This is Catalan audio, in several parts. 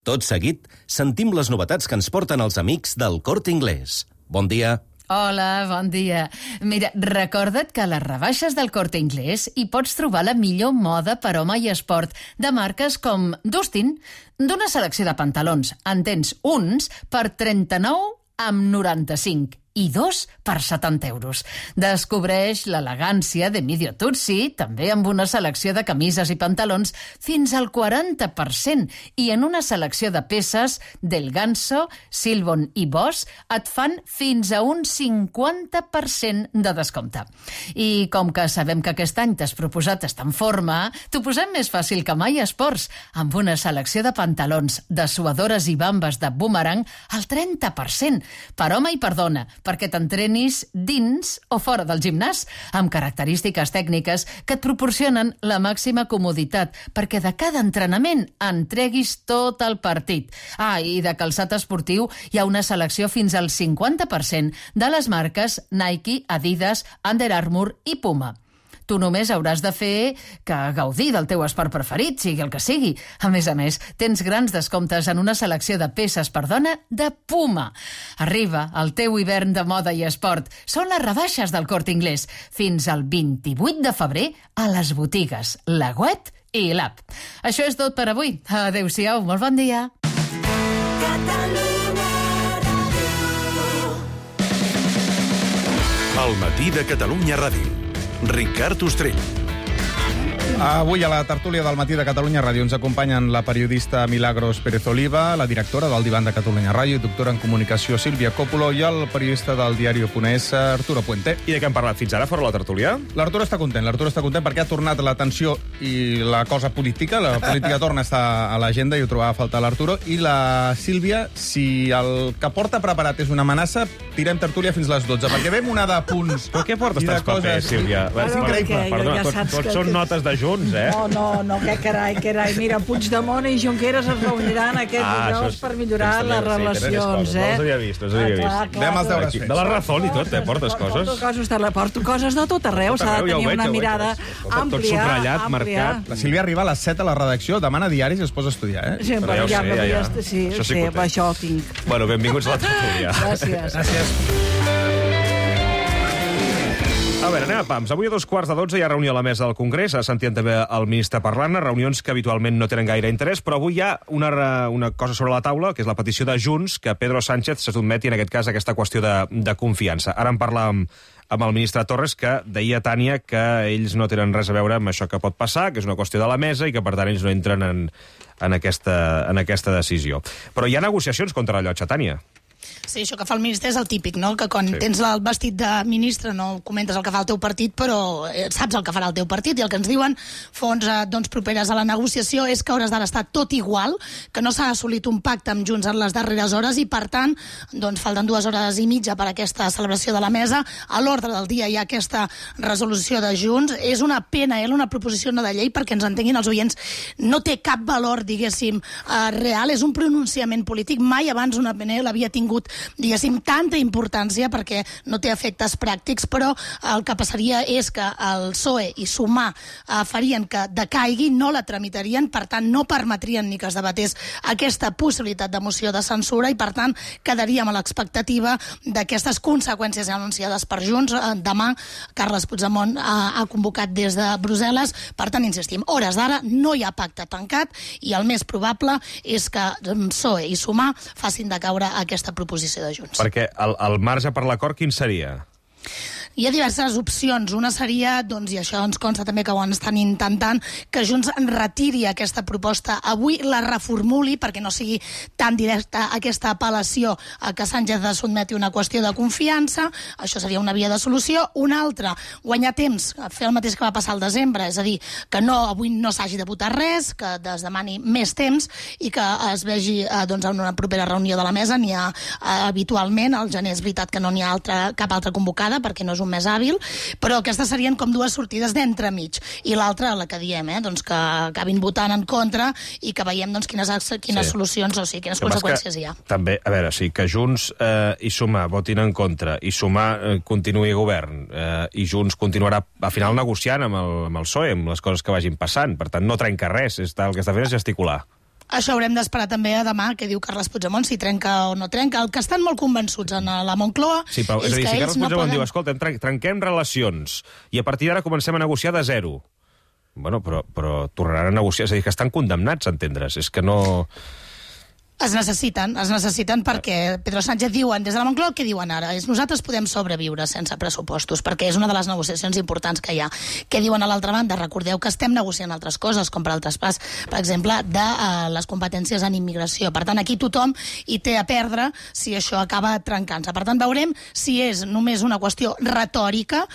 Tot seguit, sentim les novetats que ens porten els amics del Corte Inglés. Bon dia. Hola, bon dia. Mira, recorda't que a les rebaixes del Corte Inglés hi pots trobar la millor moda per home i esport de marques com Dustin. D'una selecció de pantalons en tens uns per 39,95 i 2 per 70 euros. Descobreix l'elegància de Medio Tutsi, també amb una selecció de camises i pantalons fins al 40%, i en una selecció de peces del Ganso, Silbon i Boss et fan fins a un 50% de descompte. I com que sabem que aquest any t'has proposat estar en forma, t'ho posem més fàcil que mai a Esports, amb una selecció de pantalons, de suadores i bambes de Boomerang al 30%, per home i per dona, perquè t'entrenis dins o fora del gimnàs, amb característiques tècniques que et proporcionen la màxima comoditat, perquè de cada entrenament en treguis tot el partit. I de calçat esportiu hi ha una selecció fins al 50% de les marques Nike, Adidas, Under Armour i Puma. Tu només hauràs de fer que gaudir del teu esport preferit, sigui el que sigui. A més, tens grans descomptes en una selecció de peces per dona de Puma. Arriba el teu hivern de moda i esport. Són les rebaixes del Corte Inglés. Fins al 28 de febrer a les botigues La Wet i l'App. Això és tot per avui. Adéu-siau, molt bon dia. El matí de Catalunya Ràdio. Ricard Ostrell. Avui a la tertúlia del matí de Catalunya Ràdio ens acompanyen la periodista Milagros Pérez Oliva, la directora del Divan de Catalunya Ràdio i doctora en comunicació Sílvia Còpolo i el periodista del diario.es Arturo Puente. I de què hem parlat fins ara, fora la tertúlia? L'Arturo està content perquè ha tornat l'atenció i la cosa política. La política torna a estar a l'agenda i ho trobava a faltar l'Arturo. I la Sílvia, si el que porta preparat és una amenaça, tirem tertúlia fins les 12, perquè ve una de punts. Però què portes tants papers, Sílvia? És increïble. Perdona, tots són notes de Junts, eh? No, que carai. Mira, Puigdemont i Junqueras es reuniran aquest dijous per millorar les relacions, No els havia vist. Anem als deures fets. De la Razón i tot, portes coses. Porto coses de tot arreu, s'ha de tenir una mirada àmplia. Tot subratllat, marcat. La Sílvia arriba a les 7 a la redacció, demana diaris i es posa a estudiar, eh? Sí, això tinc. Bueno, benvinguts a la tertúlia. Gràcies. A veure, anem a pams. Avui a 2:15 hi ha reunió a la mesa del Congrés. Sentien també el ministre parlant, reunions que habitualment no tenen gaire interès, però avui hi ha una cosa sobre la taula, que és la petició de Junts, que Pedro Sánchez se sotmeti, en aquest cas, a aquesta qüestió de confiança. Ara en parlàvem amb el ministre Torres, que deia a Tània que ells no tenen res a veure amb això que pot passar, que és una qüestió de la mesa i que, per tant, ells no entren en aquesta decisió. Però hi ha negociacions contra la llotja, Tània. Sí, això que fa el ministre és el típic, no? Que quan tens el vestit de ministre no comentes el que fa el teu partit, però saps el que farà el teu partit, i el que ens diuen fonts properes a la negociació és que hauràs d'ara estar tot igual, que no s'ha assolit un pacte amb Junts en les darreres hores i, per tant, falten 2 hores i mitja per a aquesta celebració de la mesa. A l'ordre del dia hi ha aquesta resolució de Junts. És una pena, una proposició no de llei, perquè ens entenguin els oients, no té cap valor, diguéssim, real, és un pronunciament polític. Mai abans una PNL havia tingut, diguéssim, tanta importància, perquè no té efectes pràctics, però el que passaria és que el PSOE i Sumar farien que decaigui, no la tramitarien, per tant no permetrien ni que es debatés aquesta possibilitat de moció de censura i, per tant, quedaríem a l'expectativa d'aquestes conseqüències anunciades per Junts. Demà Carles Puigdemont ha convocat des de Brussel·les, per tant, insistim, hores d'ara no hi ha pacte tancat i el més probable és que PSOE i Sumar facin decaure aquesta proposició de Junts. Perquè el marge per l'acord quin seria? Hi ha diverses opcions. Una seria, i això ens consta també que ho estan intentant, que Junts retiri aquesta proposta avui, la reformuli perquè no sigui tan directa aquesta apel·lació a que Sánchez sotmeti una qüestió de confiança. Això seria una via de solució. Una altra, guanyar temps, fer el mateix que va passar al desembre, és a dir, que avui no s'hagi de votar res, que es demani més temps i que es vegi en una propera reunió de la mesa. N'hi ha habitualment, al gener és veritat que no n'hi ha cap altra convocada perquè no és un més hàbil, però aquestes serien com 2 sortides d'entremig. I l'altra, la que diem, que acabin votant en contra i que veiem quines solucions, o sigui, quines conseqüències hi ha. També, a veure, que Junts i Sumar votin en contra i Sumar continuï govern i Junts continuarà al final negociant amb el PSOE, amb les coses que vagin passant. Per tant, no trenca res, el que està fent és gesticular. Això haurem d'esperar també a demà, què diu Carles Puigdemont, si trenca o no trenca. El que estan molt convençuts en la Moncloa sí, però, és dir, que si ells Carles no Puigdemont poden... diu, escolta, trenquem relacions i a partir d'ara comencem a negociar de zero. Bueno, però tornaran a negociar. És a dir, que estan condemnats a entendre's. És que no... Es necessiten perquè Pedro Sánchez diuen, des de la Moncloa, què diuen ara? Nosaltres podem sobreviure sense pressupostos, perquè és una de les negociacions importants que hi ha. Què diuen a l'altra banda? Recordeu que estem negociant altres coses, com per al traspàs, per exemple, de les competències en immigració. Per tant, aquí tothom hi té a perdre si això acaba trencant-se. Per tant, veurem si és només una qüestió retòrica,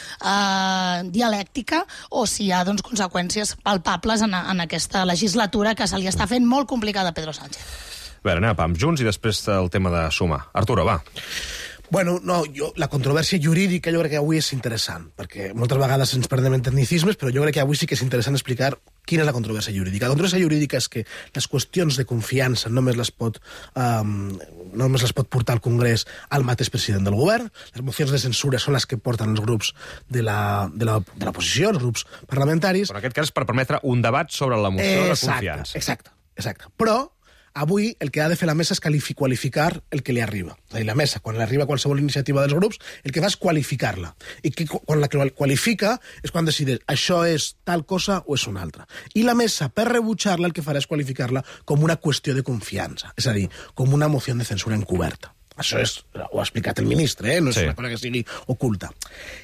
dialèctica, o si hi ha conseqüències palpables en aquesta legislatura que se li està fent molt complicada a Pedro Sánchez. A veure, anem amb Junts i després el tema de sumar. Arturo, va. Bueno, no, la controvèrsia jurídica jo crec que avui és interessant, perquè moltes vegades ens perdem en tecnicismes, però jo crec que avui sí que és interessant explicar quina és la controvèrsia jurídica. La controvèrsia jurídica és que les qüestions de confiança només les pot portar al Congrés al mateix president del govern. Les mocions de censura són les que porten els grups de l'oposició, els grups parlamentaris. En aquest cas, per permetre un debat sobre la moció de confiança. Exacte. Però avui el que ha de fer la mesa és qualificar el que li arriba. És a dir, la mesa, quan li arriba qualsevol iniciativa dels grups, el que fa és qualificar-la. I quan la qualifica és quan decideix això és tal cosa o és una altra. I la mesa, per rebutjar-la, el que farà és qualificar-la com una qüestió de confiança. És a dir, com una moció de censura encoberta. Això ho ha explicat el ministre, no és una cosa que sigui oculta.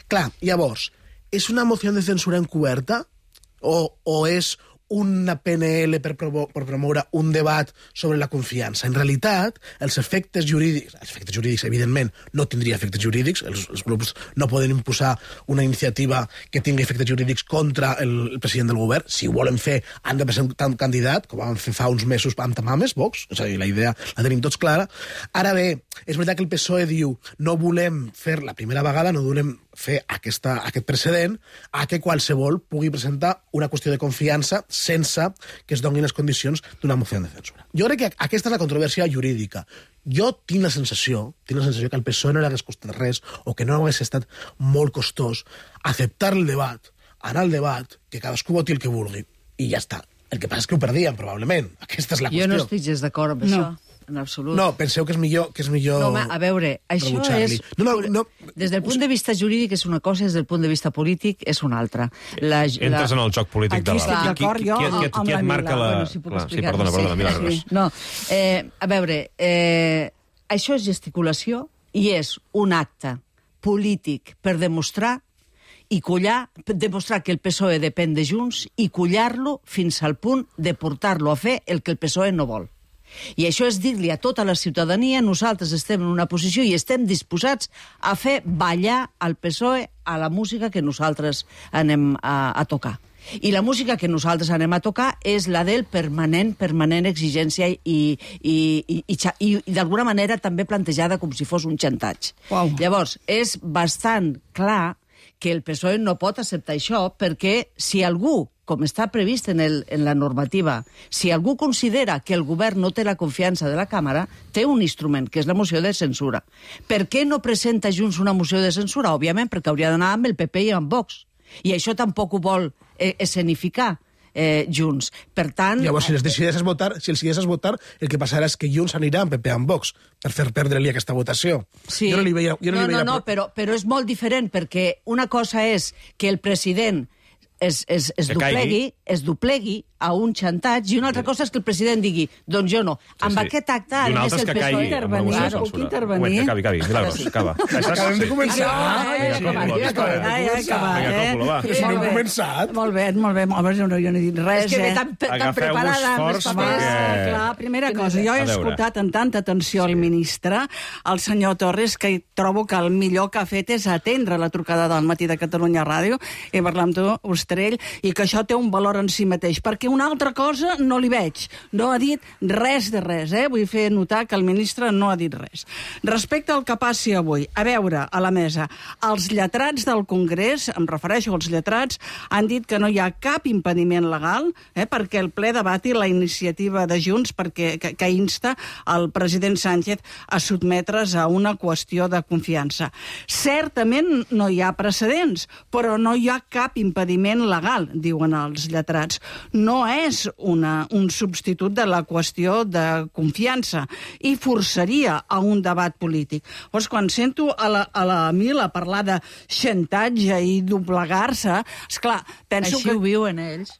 Clar, llavors, és una moció de censura encoberta o és una PNL per promoure un debat sobre la confiança? En realitat, els efectes jurídics, evidentment, no tindria efectes jurídics, els grups no poden imposar una iniciativa que tingui efectes jurídics contra el president del govern. Si ho volen fer, han de presentar un candidat, com vam fer fa uns mesos amb Tamames, Vox, és a dir, la idea la tenim tots clara. Ara bé, és veritat que el PSOE diu no volem fer la primera vegada, no volem fer aquest precedent a que qualsevol pugui presentar una qüestió de confiança sense que es donin les condicions d'una moció de censura. Jo crec que aquesta és la controvèrsia jurídica. Jo tinc la sensació que el PSOE no li hagués costat res o que no hagués estat molt costós acceptar el debat, anar al debat, que cadascú voti el que vulgui, i ja està. El que passa és que ho perdien, probablement. Aquesta és la qüestió. Jo no estic gens d'acord amb això. En absolut. No, penseu que és millor... No, home, a veure, això és... No. Des del punt de vista jurídic és una cosa, des del punt de vista polític és una altra. Entres en el joc polític de la... Aquí estic d'acord jo amb la Mila. Sí, perdona, Milagros. No, a veure, això és gesticulació i és un acte polític per demostrar que el PSOE depèn de Junts i collar-lo fins al punt de portar-lo a fer el que el PSOE no vol. I això és dir-li a tota la ciutadania nosaltres estem en una posició i estem disposats a fer ballar al PSOE a la música que nosaltres anem a tocar. I la música que nosaltres anem a tocar és la del permanent exigència i d'alguna manera també plantejada com si fos un xantatge. Wow. Llavors, és bastant clar que el PSOE no pot acceptar això perquè si algú, com està previst en la normativa, si algú considera que el govern no té la confiança de la Càmera, té un instrument, que és la moció de censura. Per què no presenta Junts una moció de censura? Òbviament, perquè hauria d'anar amb el PP i amb Vox. I això tampoc ho vol escenificar Junts. Per tant... Llavors, si els decideixes votar, el que passarà és que Junts anirà amb PP amb Vox per fer perdre-li aquesta votació. Sí. Jo no li veia... però és molt diferent, perquè una cosa és que el president es doplegui a un xantatge i una altra cosa és que el president digui doncs jo no. Amb aquest acte, a més, el PSOE... Puc intervenir? Acabi, Milagros, acaba. Acabem de començar. No he començat. Molt bé. A veure, jo no he dit res. És que tan preparada. Clar, primera cosa, jo he escoltat amb tanta atenció el ministre, el senyor Torres, que trobo que el millor que ha fet és atendre la trucada del Matí de Catalunya Ràdio i parlar amb tu, Ostrell, i que això té un valor en si mateix, perquè una altra cosa no li veig. No ha dit res de res, Vull fer notar que el ministre no ha dit res. Respecte al que passi avui, a veure, a la mesa, els lletrats del Congrés, em refereixo als lletrats, han dit que no hi ha cap impediment legal perquè el ple debati la iniciativa de Junts per que insta el president Sánchez a sotmetre's a una qüestió de confiança. Certament no hi ha precedents, però no hi ha cap impediment legal, diuen els lletrats. No és un substitut de la qüestió de confiança i forçaria a un debat polític. Llavors, quan sento a la Mila parlar de xantatge i doblegar-se, esclar, penso així ho viuen ells.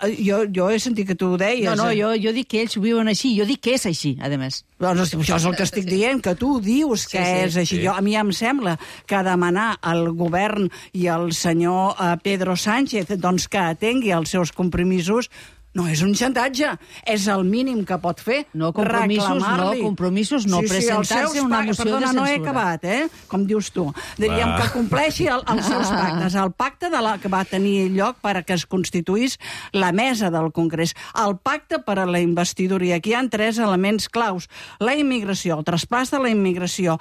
Jo he sentit que tu ho deies. No, jo dic que ells ho viuen així, jo dic que és així, a més. Doncs això és el que estic dient, que tu dius que és així. A mi em sembla que demanar al govern i al senyor Pedro Sánchez doncs, que atengui els seus compromisos no és un xantatge, és el mínim que pot fer. No, compromisos no, presentar-se una moció de censura. No he acabat, com dius tu. Diríem que compleixi els seus pactes. El pacte que va tenir lloc perquè es constituís la mesa del Congrés. El pacte per a la investidura. I aquí hi ha 3 elements claus. La immigració, el traspàs de la immigració.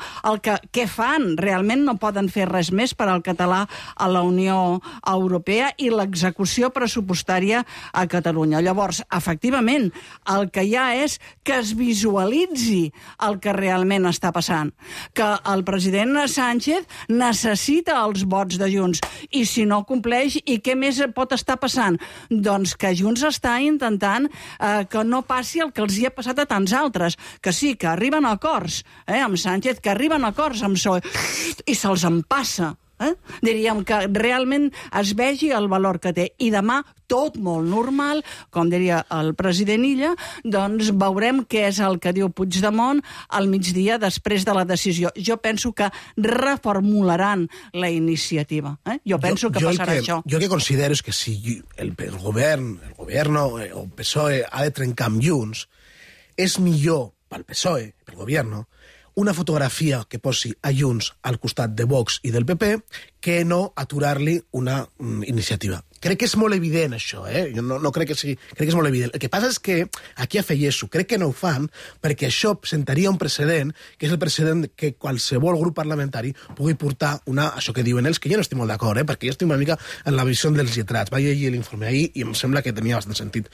Què fan? Realment no poden fer res més per al català a la Unió Europea i l'execució pressupostària a Catalunya. Llavors, efectivament, el que hi ha és que es visualitzi el que realment està passant. Que el president Sánchez necessita els vots de Junts i si no compleix, i què més pot estar passant? Doncs que Junts està intentant que no passi el que els hi ha passat a tants altres, que sí, que arriben a acords amb Sánchez, que arriben a acords amb PSOE i se'ls empassa. Diríem que realment es vegi el valor que té. I demà, tot molt normal, com diria el president Illa, doncs veurem què és el que diu Puigdemont al migdia després de la decisió. Jo penso que reformularan la iniciativa. Jo penso que passarà això. Jo el que considero és que si el govern o el PSOE ha de trencar amb Junts, és millor pel PSOE, pel govern, una fotografia que posi a Junts al costat de Vox i del PP que no aturar-li una iniciativa. Crec que és molt evident, això, Jo no crec que sigui... Crec que és molt evident. El que passa és que aquí afegeixo, crec que no ho fan perquè això presentaria un precedent, que és el precedent que qualsevol grup parlamentari pugui portar això que diuen ells, que jo no estic molt d'acord, perquè jo estic una mica en la visió dels lletrats. Vaig llegir l'informe ahir i em sembla que tenia bastant sentit.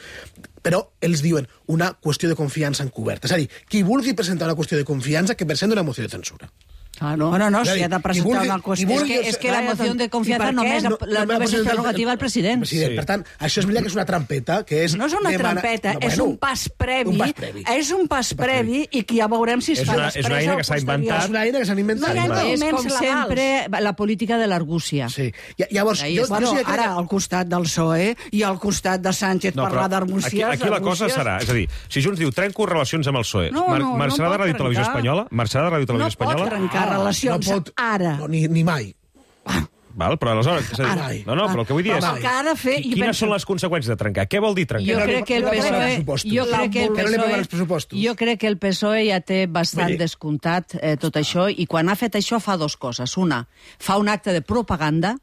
Però ells diuen una qüestió de confiança encoberta. És a dir, qui vulgui presentar una qüestió de confiança que presenti una moció de censura. No, si ha de presentar una qüestió... És que la moció de confiança només és prerrogativa al president. Per tant, això és veritat que és una trampeta, que és... No és una trampeta, és un pas previ. És un pas previ i que ja veurem si es fa després o posterior. És una eina que s'ha inventat. És una eina que s'han inventat. És, com sempre, la política de l'argúcia. Sí. Llavors, ara al costat del PSOE i al costat de Sánchez parlar d'argúcies... Aquí la cosa serà, és a dir, si Junts diu trenco relacions amb el PSOE, marxarà de Ràdio Televisió Espanyola? Marxarà de Ràdio Televisió Espanyola? No pot trencar relacions ara. Ni mai. Val, però aleshores... No, però el que vull dir és... Quines són les conseqüències de trencar? Què vol dir trencar? Jo crec que el PSOE ja té bastant descomptat tot això, i quan ha fet això fa 2 coses. Una, fa un acte de propaganda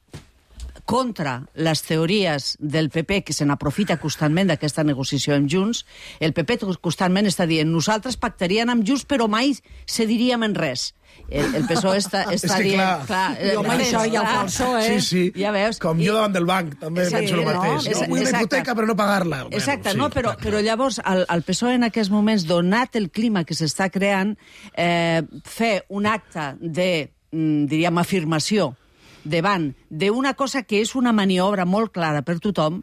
contra les teories del PP, que se n'aprofita constantment d'aquesta negociació amb Junts. El PP constantment està dient nosaltres pactaríem amb Junts, però mai cediríem en res. El PSOE està dient... Això ja ho fa el PSOE. Sí. Ja veus. Com jo davant del banc, també penso el mateix. Vull una hipoteca, però no pagar-la. Exacte, però llavors el PSOE en aquests moments, donat el clima que s'està creant, fer un acte de, diríem, afirmació davant d'una cosa que és una maniobra molt clara per tothom,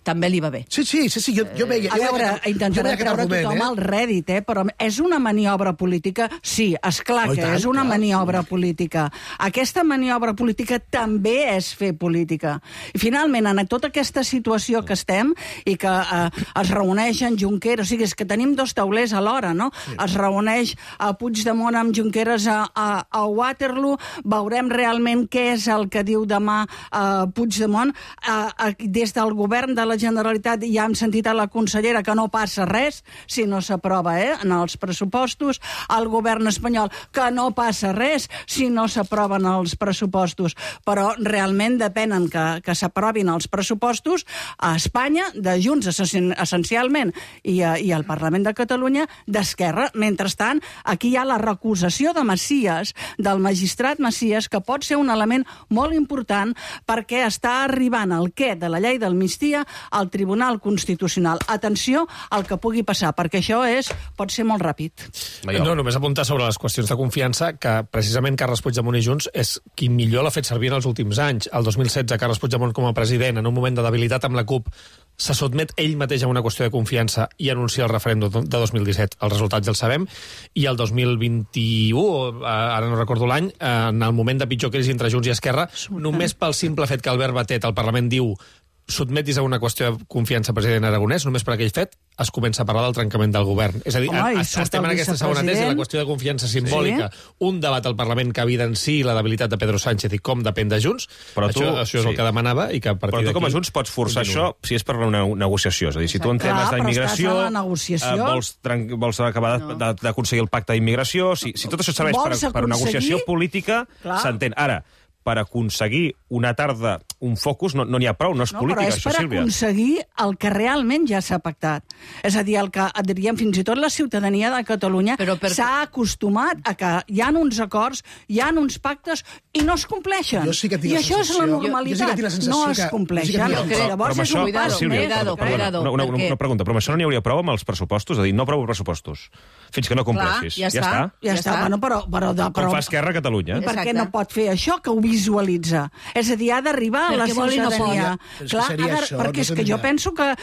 també li va bé. Sí, jo veia... A veure, intentarà treure tothom al rèdit, però és una maniobra política? Sí, esclar que és una maniobra política. Aquesta maniobra política també és fer política. I finalment, en tota aquesta situació que estem, i que es reuneixen Junqueras, o sigui, és que tenim 2 taulers alhora, no? Es reuneix Puigdemont amb Junqueras a Waterloo, veurem realment què és el que diu demà Puigdemont. Des del govern de la Generalitat ja hem sentit a la consellera que no passa res si no s'aprova en els pressupostos. El govern espanyol que no passa res si no s'aproven els pressupostos. Però realment depenen que s'aprovin els pressupostos a Espanya, de Junts essencialment, i al Parlament de Catalunya d'Esquerra. Mentrestant, aquí hi ha la recusació de Macias, del magistrat Macias, que pot ser un element molt important lluitant perquè està arribant el què de la llei d'amnistia al Tribunal Constitucional. Atenció al que pugui passar, perquè això pot ser molt ràpid. No, només apuntar sobre les qüestions de confiança que precisament Carles Puigdemont i Junts és qui millor l'ha fet servir en els últims anys. El 2016, Carles Puigdemont com a president, en un moment de debilitat amb la CUP, se sotmet ell mateix a una qüestió de confiança i anuncia el referèndum de 2017. Els resultats ja els sabem. I el 2021, ara no recordo l'any, en el moment de pitjor crisi entre Junts i Esquerra, només pel simple fet que Albert Batet al Parlament diu sotmetis a una qüestió de confiança president Aragonès, només per aquell fet es comença a parlar del trencament del govern. És a dir, estem en aquesta segona tesi, la qüestió de confiança simbòlica, un debat al Parlament que evidenciï la debilitat de Pedro Sánchez i com depèn de Junts, però això és el que demanava i que a partir d'aquí... Però tu com a Junts pots forçar això si és per una negociació. És a dir, si tu en temes d'immigració vols acabar d'aconseguir el pacte d'immigració, si tot això serveix per negociació política, s'entén. Ara, per aconseguir una tarda, un focus, no n'hi ha prou, no és política, això, Sílvia. Però és per aconseguir el que realment ja s'ha pactat. És a dir, el que diríem fins i tot la ciutadania de Catalunya s'ha acostumat a que hi ha uns acords, hi ha uns pactes i no es compleixen. I això és la normalitat. No es compleixen. Llavors és un pas més. Una pregunta, però amb això no n'hi hauria prou amb els pressupostos? És a dir, no aprovo pressupostos. Fins que no compleixis. Ja està. Com fa Esquerra a Catalunya. Per què no pot fer això que ho visualitza? És a dir, ha d'arribar a la ciutadania. Clar, perquè és que jo penso que,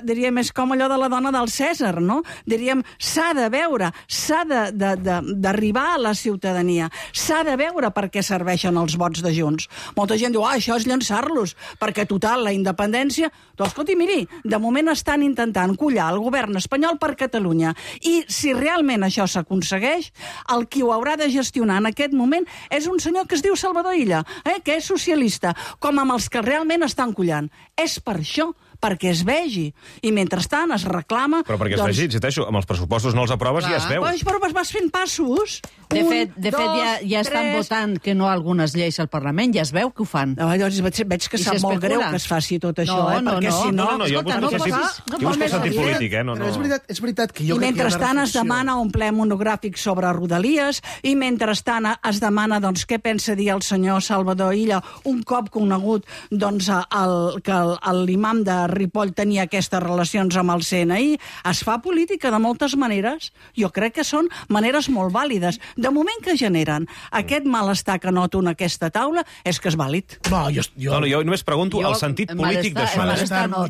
diríem, és com allò de la dona del Cèsar, no? Diríem, s'ha de veure, s'ha d'arribar a la ciutadania, s'ha de veure per què serveixen els vots de Junts. Molta gent diu, això és llançar-los, perquè total, la independència... Doncs, escolti, miri, de moment estan intentant collar el govern espanyol per Catalunya. I si realment això s'aconsegueix, el qui ho haurà de gestionar en aquest moment és un senyor que es diu Salvador Illa, que és socialista, com amb els que realment estan collant. És per això, perquè es vegi. I mentrestant es reclama... Però perquè es vegi, insisteixo, amb els pressupostos no els aproves i ja es veu. Però vas fent passos. De fet, ja estan votant que no algunes lleis al Parlament, ja es veu que ho fan. Llavors veig que sap molt greu que es faci tot això, perquè si no... Jo busco el sentit polític, Però és veritat que jo crec que hi ha una reflexió. I mentrestant es demana un ple monogràfic sobre Rodalies, i mentrestant es demana què pensa dir el senyor Salvador Illa un cop conegut que l'imam de Ripoll tenia aquestes relacions amb el CNI. Es fa política de moltes maneres. Jo crec que són maneres molt vàlides. De moment que generen aquest malestar que noto en aquesta taula, és que és vàlid. Jo només pregunto el sentit polític d'això.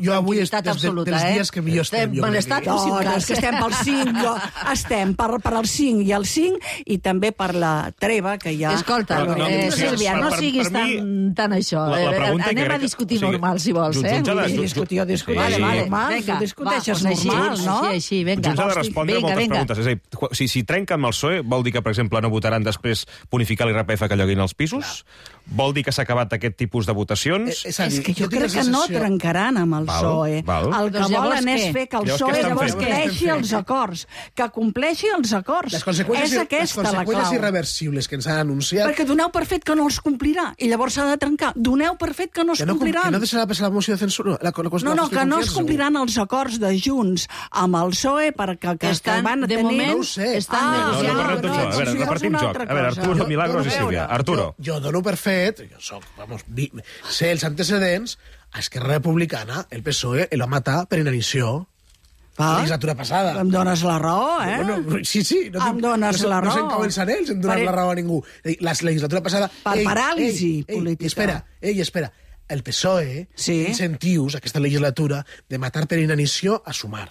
Jo avui, dels dies que millor estem. Malestar pel 5. És que estem pel 5. Estem per el 5 i el 5, i també per la treva que hi ha. Escolta, Sílvia, no siguis tan això. Anem a discutir normal, si vols. Discuteixes normal, no? Així, vinga. Junts ha de respondre moltes preguntes. És a dir, si trenca amb el PSOE, vol dir que, per exemple, no votaran després bonificar l'IRPF que lloguin els pisos? Vol dir que s'ha acabat aquest tipus de votacions? És que jo crec que no trencaran amb el PSOE. El que volen és fer que el PSOE compleixi els acords. Que compleixi els acords. És aquesta la clau. Les conseqüències irreversibles que ens han anunciat... Perquè doneu per fet que no els complirà, i llavors s'ha de trencar. Doneu per fet que no es compliran. Que no deixarà passar la moció de censura? Que no es compliran els acords de Junts amb el PSOE perquè van a tenir... De moment estan negociant. A veure, repartim joc. A veure, Arturo, Milagros i Sílvia. Arturo. Jo dono per fet, sé els antecedents, a Esquerra Republicana el PSOE el va matar per inanició. La legislatura passada. Em dones la raó, Sí. Em dones la raó. No se'n cauen sanells en donar la raó a ningú. La legislatura passada... Per paràlisi política. Espera. El PSOE té incentius, aquesta legislatura, de matar per inanició a Sumar.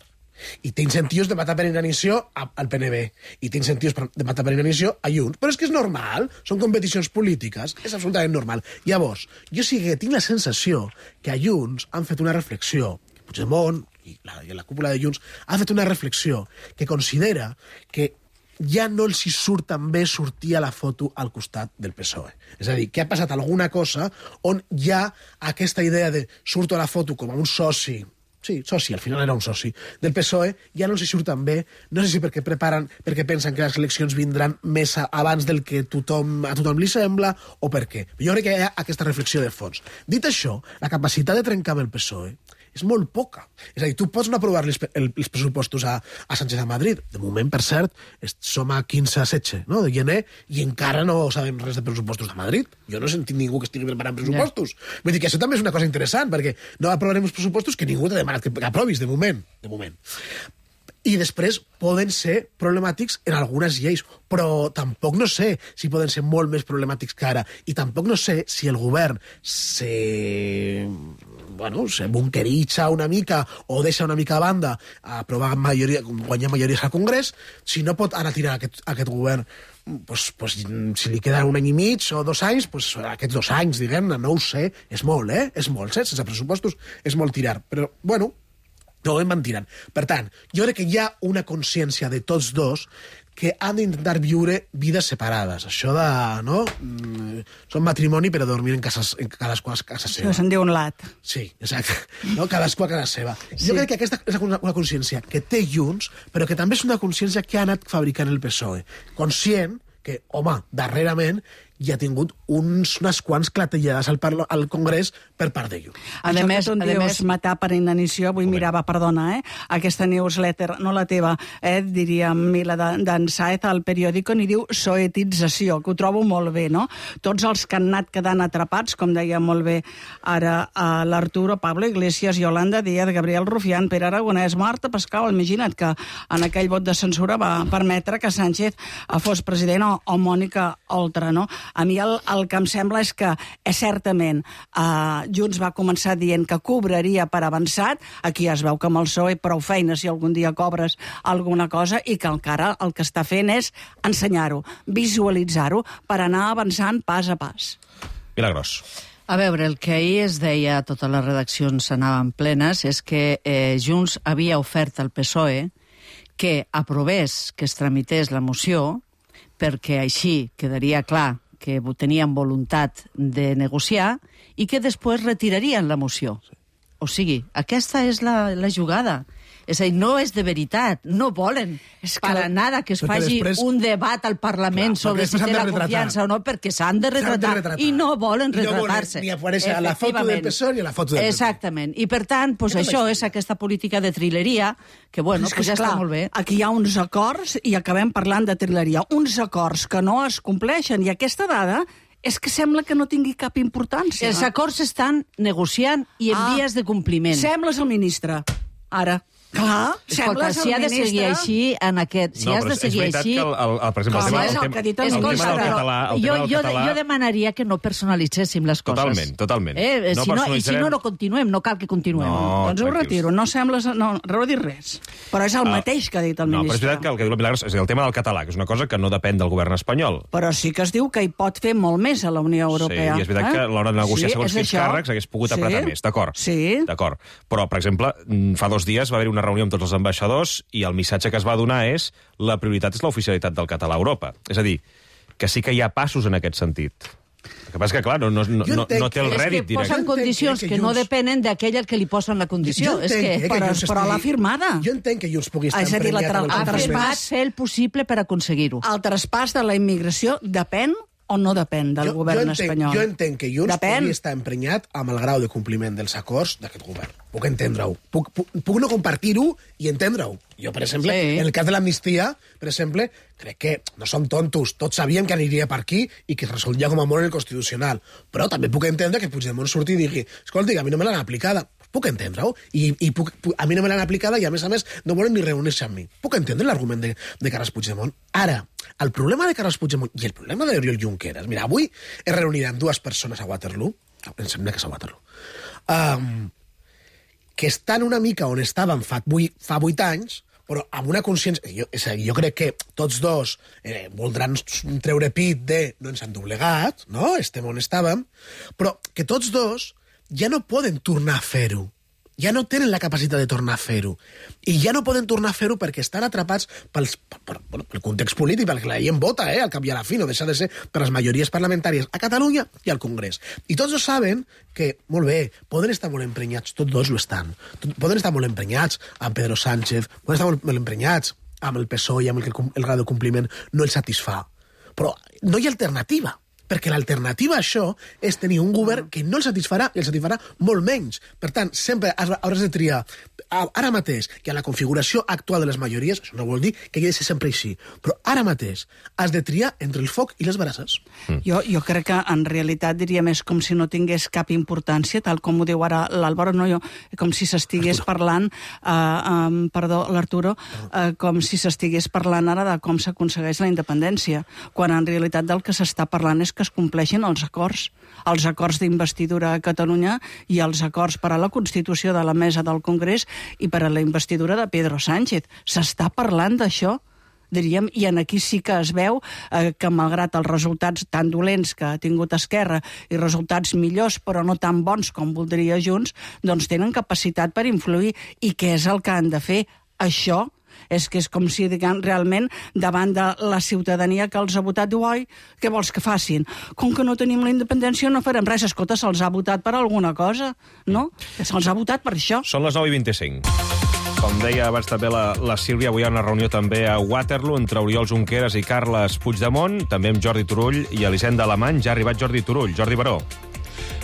I té incentius de matar per inanició al PNB. I té incentius de matar per inanició a Junts. Però és que és normal, són competicions polítiques, és absolutament normal. Llavors, jo sí que tinc la sensació que a Junts han fet una reflexió, Puigdemont i la cúpula de Junts ha fet una reflexió que considera que ja no els hi surt tan bé sortir a la foto al costat del PSOE. És a dir, que ha passat alguna cosa on hi ha aquesta idea de surto a la foto com a un soci, al final era un soci, del PSOE, ja no els hi surt tan bé, no sé si perquè pensen que les eleccions vindran més abans del que a tothom li sembla, o per què. Jo crec que hi ha aquesta reflexió de fons. Dit això, la capacitat de trencar amb el PSOE és molt poca. És a dir, tu pots no aprovar els pressupostos a Sánchez a Madrid. De moment, per cert, som a 15-16 de gener i encara no sabem res de pressupostos de Madrid. Jo no he sentit ningú que estigui preparant pressupostos. Vull dir que això també és una cosa interessant, perquè no aprovarem els pressupostos que ningú t'ha demanat que aprovis, de moment. I després poden ser problemàtics en algunes lleis, però tampoc no sé si poden ser molt més problemàtics que ara, i tampoc no sé si el govern se bunkeritza una mica o deixa una mica a banda a aprovar guanyar majories al Congrés, si no pot anar tirant aquest govern, si li queden 1 any i mig o 2 anys, aquests 2 anys, diguem-ne, no ho sé, és molt, és molt, sense pressupostos és molt tirar, però, bueno, no ho van tirant. Per tant, jo crec que hi ha una consciència de tots dos que han d'intentar viure vides separades. Això de, no? Són matrimoni però dormir en cadascú a casa seva. Això se'n diu un lat. Sí, exacte. No? Cadascú a casa seva. Sí. Jo crec que aquesta és una consciència que té Junts, però que també és una consciència que ha anat fabricant el PSOE. Conscient que, home, darrerament hi ha tingut unes quants clatellades al Congrés per part de Junts. A més, matar per inanició, avui mirava, perdona, aquesta newsletter, no la teva, diríem, la d'en Saez al periòdico, ni diu soetització, que ho trobo molt bé, no? Tots els que han anat quedant atrapats, com deia molt bé ara l'Arturo, Pablo Iglesias, Yolanda Díaz, Gabriel Rufián, Pere Aragonès, Marta Pascal, imagina't que en aquell vot de censura va permetre que Sánchez fos president o Mònica Oltra, no? A mi el que em sembla és que, certament, Junts va començar dient que cobraria per avançat, aquí es veu que amb el PSOE prou feina si algun dia cobres alguna cosa, i que encara el que està fent és ensenyar-ho, visualitzar-ho, per anar avançant pas a pas. Milagros. A veure, el que ahir es deia, totes les redaccions anaven plenes, és que Junts havia ofert al PSOE que aprovés, que es tramités la moció, perquè així quedaria clar que tenien voluntat de negociar i que després retirarien la moció. O sigui, aquesta és la jugada. És a dir, no és de veritat, no volen para nada que es faci un debat al Parlament sobre si té la confiança o no, perquè s'han de retratar i no volen retratar-se. Ni aparèixer a la foto del PSOE ni a la foto del PP. Exactament. I per tant, això és aquesta política de trileria que, bueno, ja està molt bé. Aquí hi ha uns acords i acabem parlant de trileria. Uns acords que no es compleixen, i aquesta dada és que sembla que no tingui cap importància. Els acords s'estan negociant i en vies de compliment. Sembles el ministre. Ara. Clar, escolta, si ha de seguir així en aquest... Si has de seguir així... Per exemple, el tema del català... Jo demanaria que no personalitzéssim les coses. Totalment. Si no, no continuem, no cal que continuem. Doncs ho retiro, no sembles... No he dit res. Però és el mateix que ha dit el ministre. No, però és veritat que el que diu la Milagros és el tema del català, que és una cosa que no depèn del govern espanyol. Però sí que es diu que hi pot fer molt més a la Unió Europea. Sí, i és veritat que a l'hora de negociar segons quins càrrecs hagués pogut apretar més, d'acord. Sí. D'acord. Però, per exemple, fa 2 dies va haver una reunió amb tots els ambaixadors i el missatge que es va donar és la prioritat és l'oficialitat del català a Europa. És a dir, que sí que hi ha passos en aquest sentit. El que passa és que, clar, no té el rèdit directe. És que posen condicions que no depenen d'aquell que li posen la condició. Però l'ha firmada. Jo entenc que Junts pugui estar emprenyat. Ha firmat fer el possible per aconseguir-ho. El traspàs de la immigració depèn o no depèn del govern espanyol? Jo entenc que Junts pugui estar emprenyat amb el grau de compliment dels acords d'aquest govern. Puc entendre-ho. Puc no compartir-ho i entendre-ho. Jo, per exemple, en el cas de l'amnistia, per exemple, crec que no som tontos. Tots sabíem que aniria per aquí i que es resoldria com a molt en el Constitucional. Però també puc entendre que Puigdemont surti i digui escolti, a mi no me l'han aplicada. Puc entendre-ho. I a mi no me l'han aplicada i, a més, no volen ni reunir-se amb mi. Puc entendre l'argument de Carles Puigdemont. Ara, el problema de Carles Puigdemont i el problema d'Oriol Junqueras... Mira, avui es reuniran 2 persones a Waterloo, em sembla que és a Waterloo, que estan una mica on estaven fa 8 anys, però amb una consciència... Jo crec que tots dos voldran treure pit de no ens han doblegat, no? Estem on estàvem, però que tots dos ja no poden tornar a fer-ho. Ja no tenen la capacitat de tornar a fer-ho. I ja no poden tornar a fer-ho perquè estan atrapats pel context polític, perquè la gent vota, al cap i a la fi, no deixa de ser per les majories parlamentàries a Catalunya i al Congrés. I tots dos saben que, molt bé, poden estar molt emprenyats, tots dos ho estan. Poden estar molt emprenyats amb Pedro Sánchez, poden estar molt emprenyats amb el PSOE i amb el grau de compliment no el satisfà. Però no hi ha alternativa. perquè l'alternativa a això és tenir un govern que no el satisfarà i el satisfarà molt menys. Per tant, sempre hauràs de triar ara mateix, que a la configuració actual de les majories, això no vol dir que hagi de ser sempre així, però ara mateix has de triar entre el foc i les brasses. Jo crec que en realitat diria més com si no tingués cap importància, tal com ho diu ara l'Àlvaro, no, com si s'estigués parlant, l'Arturo, com si s'estigués parlant ara de com s'aconsegueix la independència, quan en realitat del que s'està parlant és que es compleixin els acords d'investidura a Catalunya i els acords per a la constitució de la mesa del Congrés i per a la investidura de Pedro Sánchez. S'està parlant d'això, diríem, i aquí sí que es veu que malgrat els resultats tan dolents que ha tingut Esquerra i resultats millors però no tan bons com voldria Junts, doncs tenen capacitat per influir. I què és el que han de fer? Això és que és com si, diguem, realment, davant de la ciutadania que els ha votat, diu, oi, què vols que facin? Com que no tenim la independència no farem res. Escolta, se'ls ha votat per alguna cosa, no? Se'ls ha votat per això. Són les 9:25. Com deia abans també la Sílvia, avui hi ha una reunió també a Waterloo entre Oriol Junqueras i Carles Puigdemont, també amb Jordi Turull i Elisenda Alemany. Ja ha arribat Jordi Turull. Jordi Baró.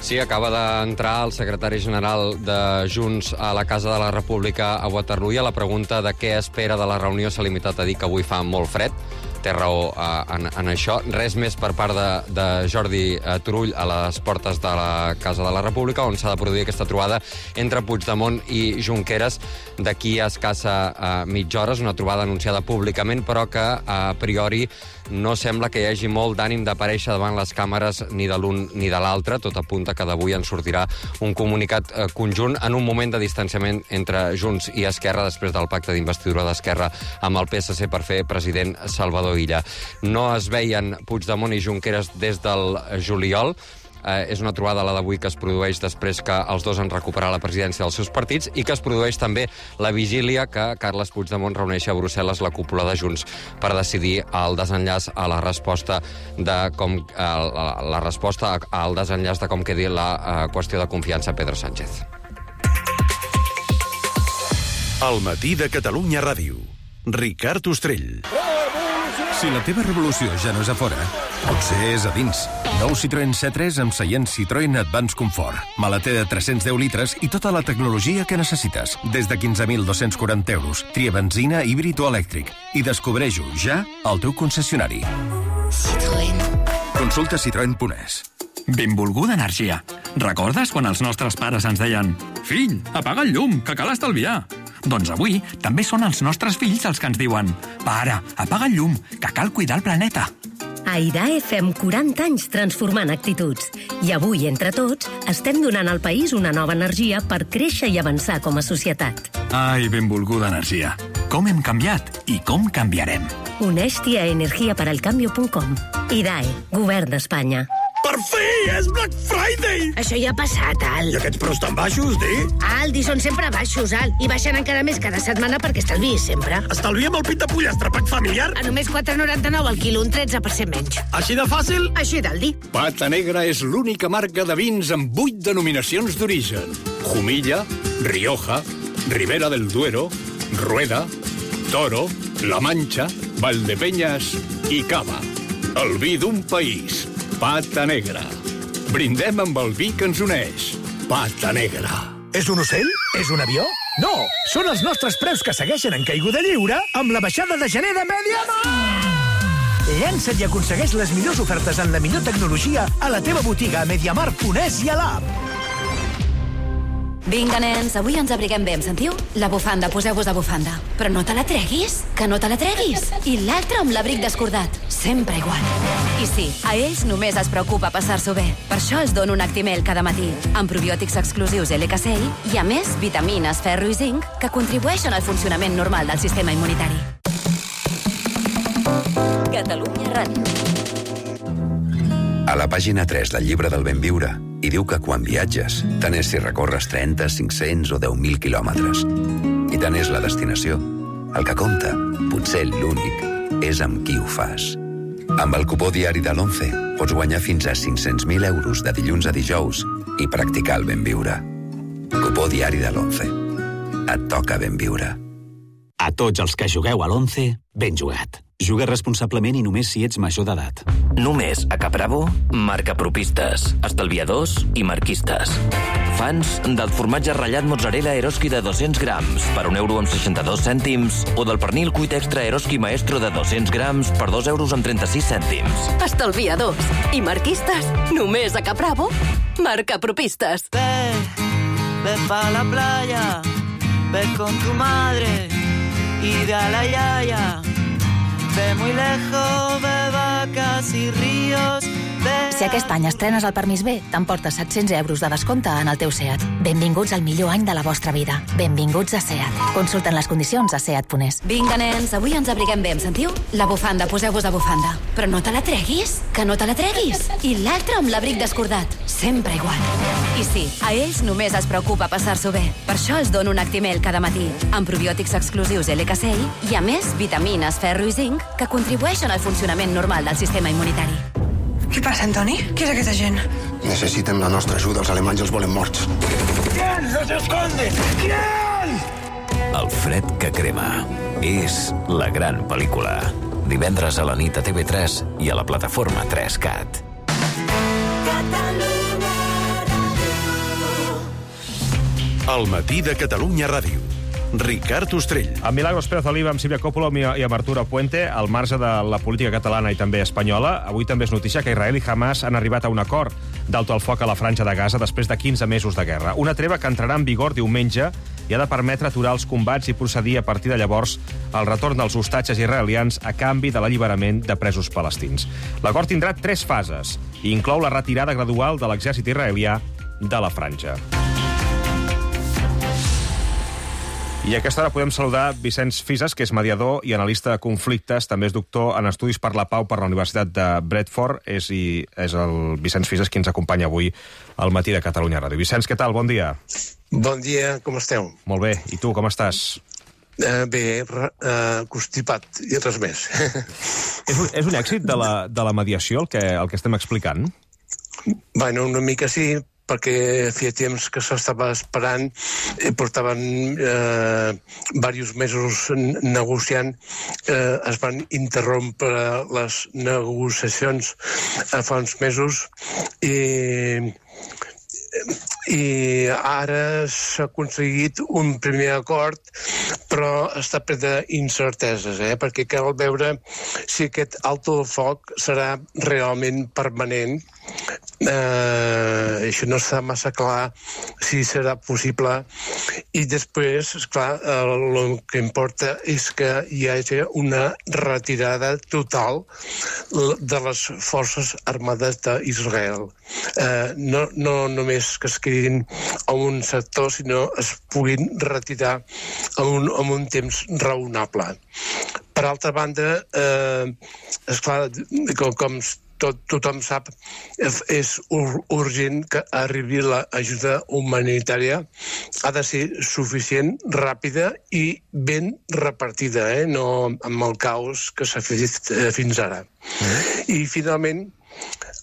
Sí, acaba d'entrar el secretari general de Junts a la Casa de la República a Waterloo i a la pregunta de què espera de la reunió s'ha limitat a dir que avui fa molt fred. Té raó en això. Res més per part de Jordi Turull a les portes de la Casa de la República, on s'ha de produir aquesta trobada entre Puigdemont i Junqueras d'aquí a escassa mitja hora. És una trobada anunciada públicament, però que a priori no sembla que hi hagi molt d'ànim d'aparèixer davant les càmeres ni de l'un ni de l'altre. Tot apunta que d'avui en sortirà un comunicat conjunt en un moment de distanciament entre Junts i Esquerra després del pacte d'investidura d'Esquerra amb el PSC per fer president Salvador Illa. No es veien Puigdemont i Junqueras des del juliol. És una trobada, la d'avui, que es produeix després que els dos han recuperat la presidència dels seus partits i que es produeix també la vigília que Carles Puigdemont reuneixi a Brussel·les la cúpula de Junts per decidir el desenllaç a la resposta al desenllaç de com quedi la qüestió de confiança a Pedro Sánchez. El matí de Catalunya Ràdio. Ricard Ostrell. Si la teva revolució ja no és a fora, potser és a dins. Nou Citroën C3 amb seient Citroën Advance Comfort. Maleter de 310 litres i tota la tecnologia que necessites. Des de 15.240 euros. Tria benzina, híbrid o elèctric. I descobreix-ho ja al teu concessionari. Citroën. Consulta citroen.es. Benvolguda energia. Recordes quan els nostres pares ens deien «Fill, apaga el llum, que cal estalviar»? Doncs avui també són els nostres fills els que ens diuen «Pare, apaga el llum, que cal cuidar el planeta». A IDAE fem 40 anys transformant actituds. I avui, entre tots, estem donant al país una nova energia per créixer i avançar com a societat. Ai, benvolguda energia. Com hem canviat i com canviarem. Uneix-t'hi a energiaperalcambio.com. IDAE, Govern d'Espanya. Per fi! És Black Friday! Això ja ha passat, Al. I aquests preus tan baixos, di? Aldi, són sempre baixos, Al. I baixen encara més cada setmana perquè estalviïs sempre. Estalviem el pit de pollastre, pack familiar? A només 4,99 al quilo, un 13% menys. Així de fàcil? Així d'Aldi. Pata Negra és l'única marca de vins amb 8 denominacions d'origen. Jumilla, Rioja, Ribera del Duero, Rueda, Toro, La Mancha, Valdepeñas i Cava. El vi d'un país. Pata Negra. Brindem amb el vi que ens uneix. Pata Negra. És un ocell? És un avió? No! Són els nostres preus que segueixen en caiguda lliure amb la baixada de gener de Mediamar! Llança't i aconsegueix les millors ofertes en la millor tecnologia a la teva botiga a Mediamar.es i a l'app. Vinga, nens, avui ens abriguem bé, em sentiu? La bufanda, poseu-vos de bufanda. Però no te la treguis, que no te la treguis. I l'altre amb l'abric descordat, sempre igual. I sí, a ells només es preocupa passar-s'ho bé. Per això els dono un Actimel cada matí, amb probiòtics exclusius LKCI i, a més, vitamines, ferro i zinc que contribueixen al funcionament normal del sistema immunitari. Catalunya Ràdio. A la pàgina 3 del llibre del ben viure hi diu que quan viatges, tant és si recorres 30, 500 o 10.000 quilòmetres. I tant és la destinació. El que compta, potser l'únic, és amb qui ho fas. Amb el cupó diari de l'11 pots guanyar fins a 500.000 euros de dilluns a dijous i practicar el ben viure. Cupó diari de l'11. Et toca ben viure. A tots els que jugueu a l'11, ben jugat. Juga responsablement i només si ets major d'edat. Només a Capravo, marca propistes, estalviadors i marquistes. Fans del formatge ratllat mozzarella Eroski de 200 grams per €1,62 o del pernil cuit extra Eroski Maestro de 200 grams per €2,36. Estalviadors i marquistes, només a Capravo, marca propistes. Ve pa la playa, ve con tu madre y de a la yaya. Ve muy lejos, ve vacas y ríos. Si aquest any estrenes el permís B, t'emportes 700 € de descompte en el teu SEAT. Benvinguts al millor any de la vostra vida. Benvinguts a SEAT. Consulten les condicions a seat.es. Vinga, nens, avui ens abriguem bé, em sentiu? La bufanda, poseu-vos a bufanda. Però no te la treguis, que no te la treguis. I l'altra amb l'abric descordat. Sempre igual. I sí, a ells només es preocupa passar-s'ho bé. Per això els dono un Actimel cada matí, amb probiòtics exclusius LKCI i, a més, vitamines, ferro i zinc que contribueixen al funcionament normal del sistema immunitari. Què passa, Antoni? Qui és aquesta gent? Necessiten la nostra ajuda, els alemanys els volen morts. ¿Quién los esconde? ¿Quién? El fred que crema. És la gran pel·lícula. Divendres a la nit a TV3 i a la plataforma 3CAT. El matí de Catalunya Ràdio. Ricard Ostrell. Amb Milagros Pérez Oliva, amb Sílvia Coppola i amb Arturo Puente, al marge de la política catalana i també espanyola, avui també és notícia que Israel i Hamas han arribat a un acord d'alto al foc a la Franja de Gaza després de 15 mesos de guerra. Una treva que entrarà en vigor diumenge i ha de permetre aturar els combats i procedir a partir de llavors al retorn dels hostatges israelians a canvi de l'alliberament de presos palestins. L'acord tindrà 3 fases i inclou la retirada gradual de l'exèrcit israelià de la Franja. I a aquesta hora podem saludar Vicenç Fisas, que és mediador i analista de conflictes, també és doctor en Estudis per la Pau per la Universitat de Bradford. És el Vicenç Fisas qui ens acompanya avui al matí de Catalunya Ràdio. Vicenç, què tal? Bon dia. Bon dia, com esteu? Molt bé. I tu, com estàs? Bé, constipat i res més. És un èxit de la mediació el que estem explicant? Bueno, una mica sí, perquè feia temps que s'estava esperant, portaven diversos mesos negociant, es van interrompre les negociacions fa uns mesos i ara s'ha aconseguit un primer acord, però està ple d'incerteses, perquè cal veure si aquest alto del foc serà realment permanent. Això no està massa clar si serà possible, i després, esclar, el que importa és que hi hagi una retirada total de les forces armades d'Israel. No només que es quedin a un sector, sinó es puguin retirar en un temps raonable. Per altra banda, esclar, com tothom sap, és urgent que arribi l'ajuda humanitària. Ha de ser suficient, ràpida i ben repartida, no amb el caos que s'ha fet fins ara. I finalment,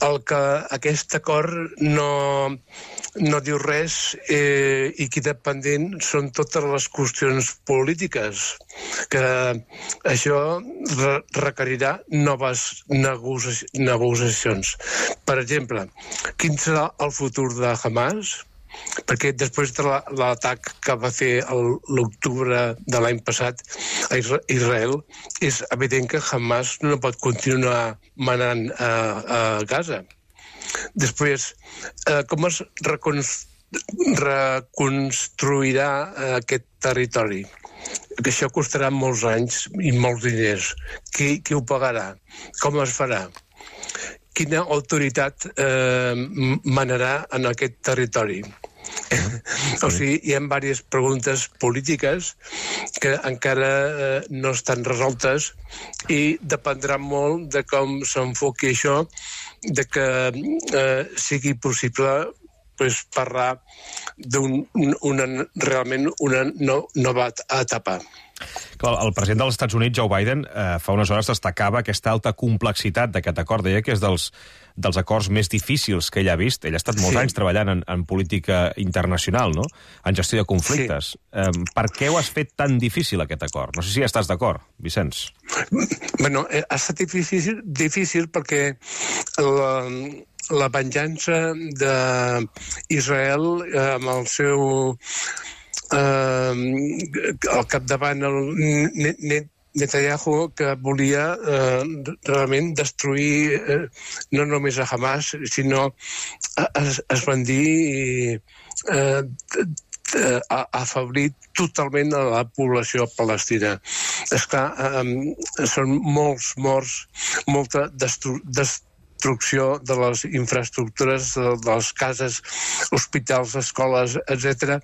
aquest acord no diu res i queda pendent són totes les qüestions polítiques, que això requerirà noves negociacions. Per exemple, quin serà el futur de Hamas? Perquè després de l'atac que va fer l'octubre de l'any passat a Israel, és evident que Hamas no pot continuar manant a Gaza. Després, com es reconstruirà aquest territori? Que això costarà molts anys i molts diners. Qui ho pagarà? Com es farà? Quina autoritat manarà en aquest territori? O sigui, hi ha diverses preguntes polítiques que encara no estan resoltes i dependrà molt de com s'enfoqui això, de que sigui possible parlar realment una nova etapa. El president dels Estats Units, Joe Biden, fa unes hores destacava aquesta alta complexitat d'aquest acord. Deia que és dels acords més difícils que ell ha vist. Ell ha estat molts anys treballant en política internacional, no? En gestió de conflictes. Per què ho has fet tan difícil, aquest acord? No sé si estàs d'acord, Vicenç. Bueno, ha estat difícil perquè la venjança d'Israel amb el seu al capdavant el Netanyahu, que volia realment destruir no només a Hamas, sinó esbandir i afeblir totalment a la població palestina. Esclar, són molts morts, molta destrucció de les infraestructures, de les cases, hospitals, escoles, etc.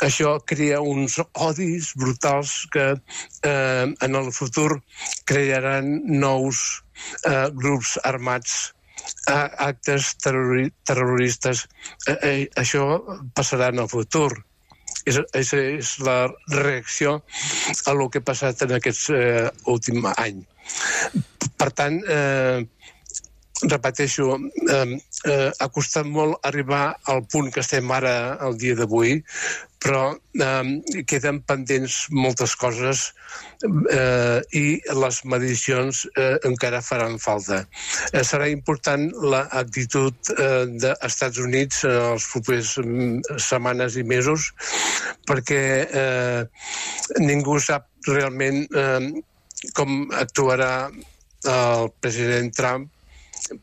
Això crea uns odis brutals que en el futur crearan nous grups armats, actes terroristes. Això passarà en el futur. És la reacció a el que ha passat en aquest últim any. Per tant, repeteixo, ha costat molt arribar al punt que estem ara, el dia d'avui, però queden pendents moltes coses i les medicions encara faran falta. Serà important l'actitud dels Estats Units en les properes setmanes i mesos, perquè ningú sap realment com actuarà el president Trump,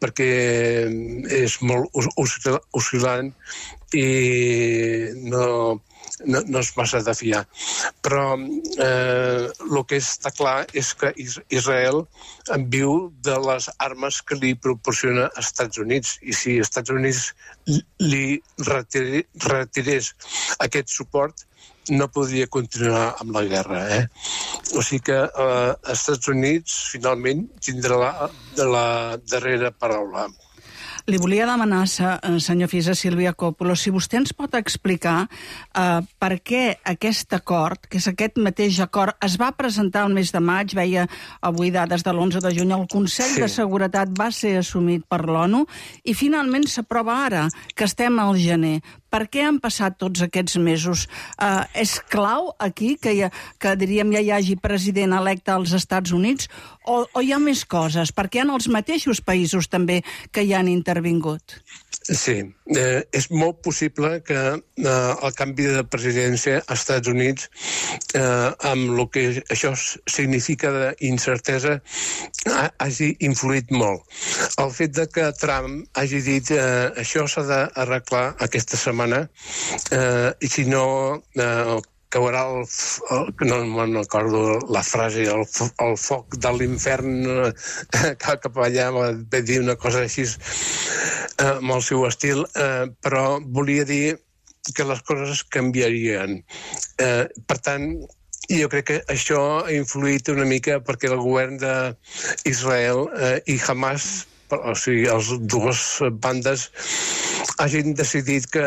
perquè és molt oscil·lant i no és massa de fiar. Però el que està clar és que Israel viu de les armes que li proporciona als Estats Units, i si els Estats Units li retirés aquest suport, no podria continuar amb la guerra. O sigui que els Estats Units finalment tindrà la darrera paraula. Li volia demanar, senyor Fisa, Sílvia Coppolo, si vostè ens pot explicar per què aquest acord, que és aquest mateix acord, es va presentar el mes de maig, veia avui dades de l'11 de juny, el Consell de Seguretat va ser assumit per l'ONU i finalment s'aprova ara, que estem al gener. Per què han passat tots aquests mesos? És clau aquí que diríem ja hi hagi president electe als Estats Units o hi ha més coses? Perquè hi ha els mateixos països també que hi han intervingut. Sí, és molt possible que el canvi de presidència als Estats Units, amb el que això significa d'incertesa, hagi influït molt. El fet de que Trump hagi dit això s'ha d'arreglar aquesta setmana i si no caurà no me'n recordo la frase, el foc de l'infern cap allà, va dir una cosa així amb el seu estil, però volia dir que les coses canviarien. Per tant, jo crec que això ha influït una mica perquè el govern d'Israel i Hamas, o sigui, les dues bandes, hagin decidit que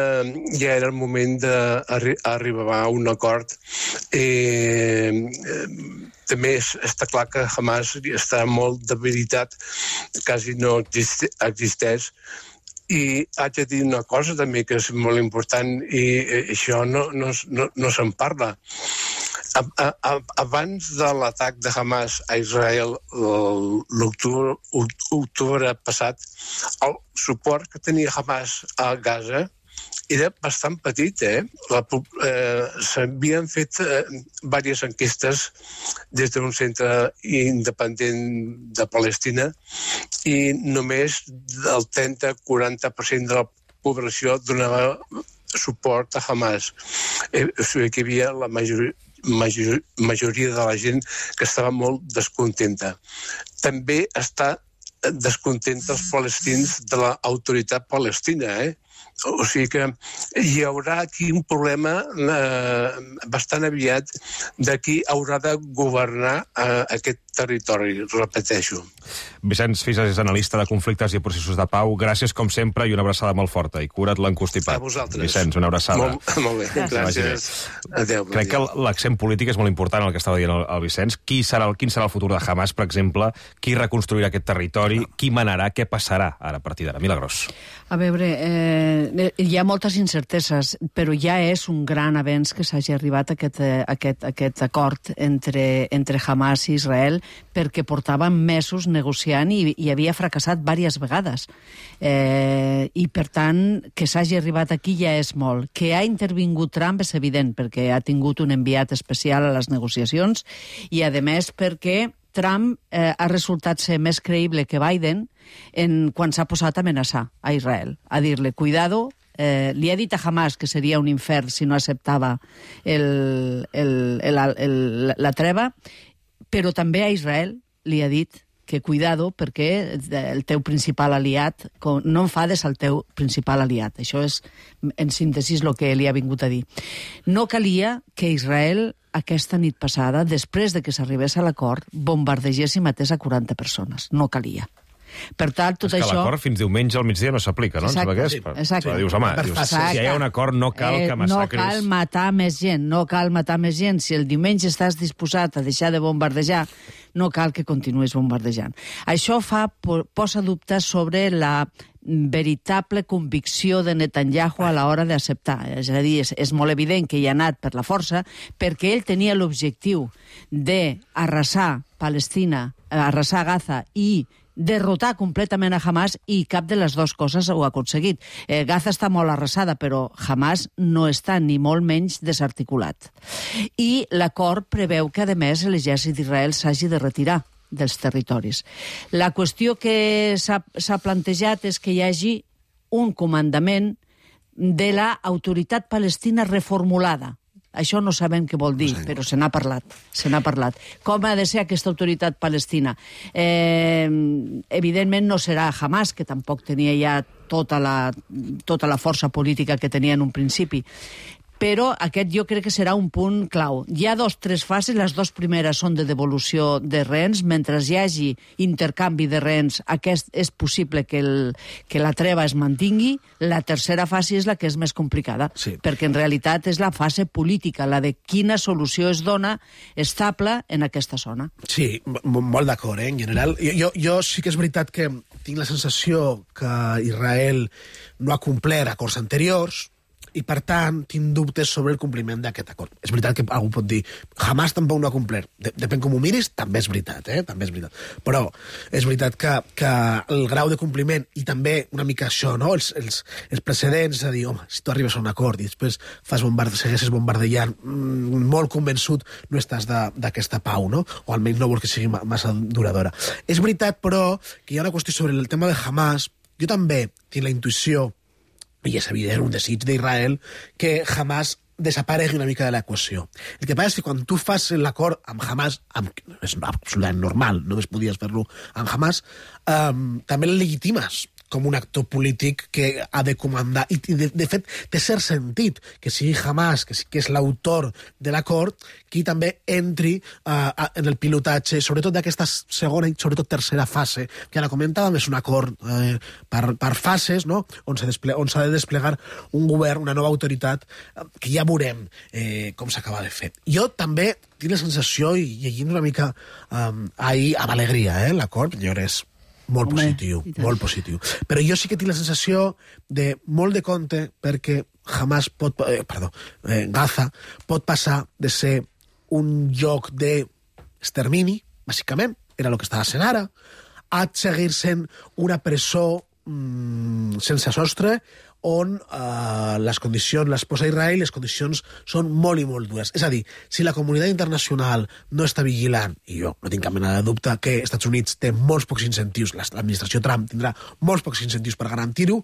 ja era el moment d'arribar a un acord. També està clar que Hamas està molt debilitat, quasi no existeix. I haig de dir una cosa també que és molt important i això no se'n parla. Abans de l'atac de Hamas a Israel l'octubre passat, el suport que tenia Hamas a Gaza era bastant petit. S'havien fet diverses enquestes des d'un centre independent de Palestina i només el 30-40% de la població donava suport a Hamas. O sigui que hi havia la majoria de la gent que estava molt descontenta. També està descontenta els palestins de l'autoritat palestina, O sigui que hi haurà aquí un problema bastant aviat de qui haurà de governar aquest territori, repeteixo. Vicenç Fisas és analista de conflictes i processos de pau. Gràcies, com sempre, i una abraçada molt forta. I cura't l'encostipat. A vosaltres. Vicenç, una abraçada. Molt bé, gràcies. Adéu. Crec que l'accent polític és molt important, el que estava dient el Vicenç. Quin serà el futur de Hamas, per exemple? Qui reconstruirà aquest territori? Qui manarà? Què passarà ara a partir d'ara? Milagros. A veure, hi ha moltes incerteses, però ja és un gran avenç que s'hagi arribat a aquest acord entre Hamas i Israel, perquè portàvem mesos negociant i havia fracassat diverses vegades. I, per tant, que s'hagi arribat aquí ja és molt. Que ha intervingut Trump és evident, perquè ha tingut un enviat especial a les negociacions i, a més, perquè Trump ha resultat ser més creïble que Biden quan s'ha posat a amenaçar a Israel, a dir-li, cuidado, li ha dit a Hamas que seria un infern si no acceptava la treva, però també a Israel li ha dit que cuidado perquè el teu principal aliat, no enfades el teu principal aliat. Això és, en síntesi, el que li ha vingut a dir. No calia que Israel, aquesta nit passada, després de que s'arribés a l'acord, bombardegés i matés a 40 persones. No calia. Per tant, tot això... És que l'acord fins diumenge al migdia no s'aplica, no? Exacte. Dius, home, si hi ha un acord no cal que massacris... No cal matar més gent, no cal matar més gent. Si el diumenge estàs disposat a deixar de bombardejar, no cal que continuïs bombardejant. Això posa dubtes sobre la veritable convicció de Netanyahu a l'hora d'acceptar. És a dir, és molt evident que hi ha anat per la força, perquè ell tenia l'objectiu d'arrasar Palestina, arrasar Gaza i derrotar completament a Hamas, i cap de les dues coses ho ha aconseguit. Gaza està molt arrasada, però Hamas no està ni molt menys desarticulat. I l'acord preveu que, a més, l'exèrcit d'Israel s'hagi de retirar dels territoris. La qüestió que s'ha plantejat és que hi hagi un comandament de l'autoritat palestina reformulada. Això no sabem què vol dir, però se n'ha parlat. Com ha de ser aquesta autoritat palestina? Evidentment no serà Hamas, que tampoc tenia ja tota la força política que tenia en un principi. Però aquest jo crec que serà un punt clau. Hi ha 3 fases, les 2 primeres són de devolució de rehens. Mentre hi hagi intercanvi de rehens, és possible que la treva es mantingui. La tercera fase és la que és més complicada, perquè en realitat és la fase política, la de quina solució es dona estable en aquesta zona. Sí, molt d'acord, en general. Jo sí que és veritat que tinc la sensació que Israel no ha complert acords anteriors, i, per tant, tinc dubtes sobre el compliment d'aquest acord. És veritat que algú pot dir Hamas tampoc no ha complert. Depèn com ho miris, també és veritat, també és veritat. Però és veritat que el grau de compliment, i també una mica això, no? Els precedents, a dir, home, si tu arribes a un acord i després segueixes bombardejant, molt convençut no estàs d'aquesta pau, no? O almenys no vols que sigui massa duradora. És veritat, però, que hi ha una qüestió sobre el tema de Hamas. Jo també tinc la intuïció, i és evident, un desig d'Israel, que Hamas desaparegui una mica de l'equació. El que passa és que quan tu fas l'acord amb Hamas, és absolutament normal, només podies fer-lo amb Hamas, també el legitimes com un actor polític que ha de comandar. I, de fet, té cert sentit que sigui Hamas, que és l'autor de l'acord, qui també entri en el pilotatge, sobretot d'aquesta segona i sobretot tercera fase, que ara comentàvem, és un acord per fases, no? On s'ha de desplegar un govern, una nova autoritat, que ja veurem com s'acaba de fer. Jo també tinc la sensació, i llegint una mica ahir amb alegria, l'acord, és molt positiu, molt positiu. Però jo sí que tinc la sensació de molt de compte, perquè Gaza pot passar de ser un lloc d'extermini, bàsicament, era el que estava sent ara, a seguir sent una presó sense sostre, on les condicions, les posa Israel, les condicions són molt i molt dures. És a dir, si la comunitat internacional no està vigilant, i jo no tinc cap mena de dubte que els Estats Units té molts pocs incentius, l'administració Trump tindrà molts pocs incentius per garantir-ho,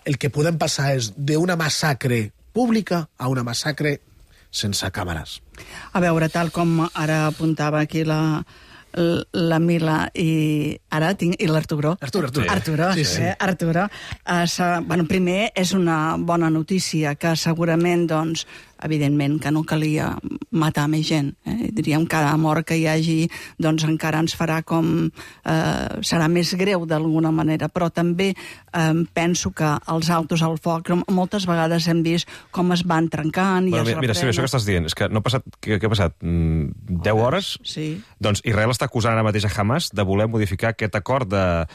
el que podem passar és d'una massacre pública a una massacre sense càmeres. A veure, tal com ara apuntava aquí la Mila i l'Arturo. Arturo. Arturo. Primer, és una bona notícia que segurament, doncs, evidentment que no calia matar més gent. Diríem que cada mort que hi hagi doncs encara ens farà serà més greu d'alguna manera, però també penso que els autos al foc moltes vegades hem vist com es van trencant i es reprenen. Mira, això que estàs dient, és que no ha passat, què ha passat? 10 hores? Sí. Doncs Israel està acusant ara mateix a Hamas de voler modificar aquest acord de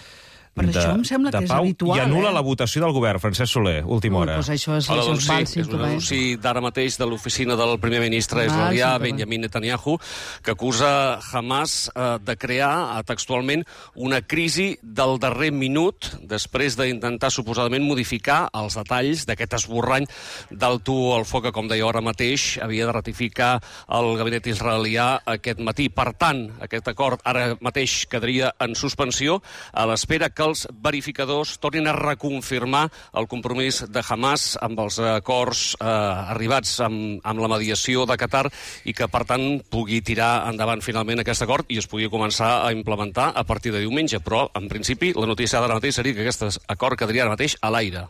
això em sembla que és pau habitual, i anul·la la votació del govern. Francesc Soler, última hora. Doncs això és un anunci d'ara mateix de l'oficina del primer ministre israelià, Benjamin Netanyahu, que acusa Hamas de crear textualment una crisi del darrer minut després d'intentar suposadament modificar els detalls d'aquest esborrany d'alto al foc que, com deia ara mateix, havia de ratificar el gabinet israelià aquest matí. Per tant, aquest acord ara mateix quedaria en suspensió a l'espera que els verificadors tornin a reconfirmar el compromís de Hamas amb els acords arribats amb la mediació de Qatar i que, per tant, pugui tirar endavant finalment aquest acord i es pugui començar a implementar a partir de diumenge. Però, en principi, la notícia d'ara mateix seria que aquest acord quedaria ara mateix a l'aire.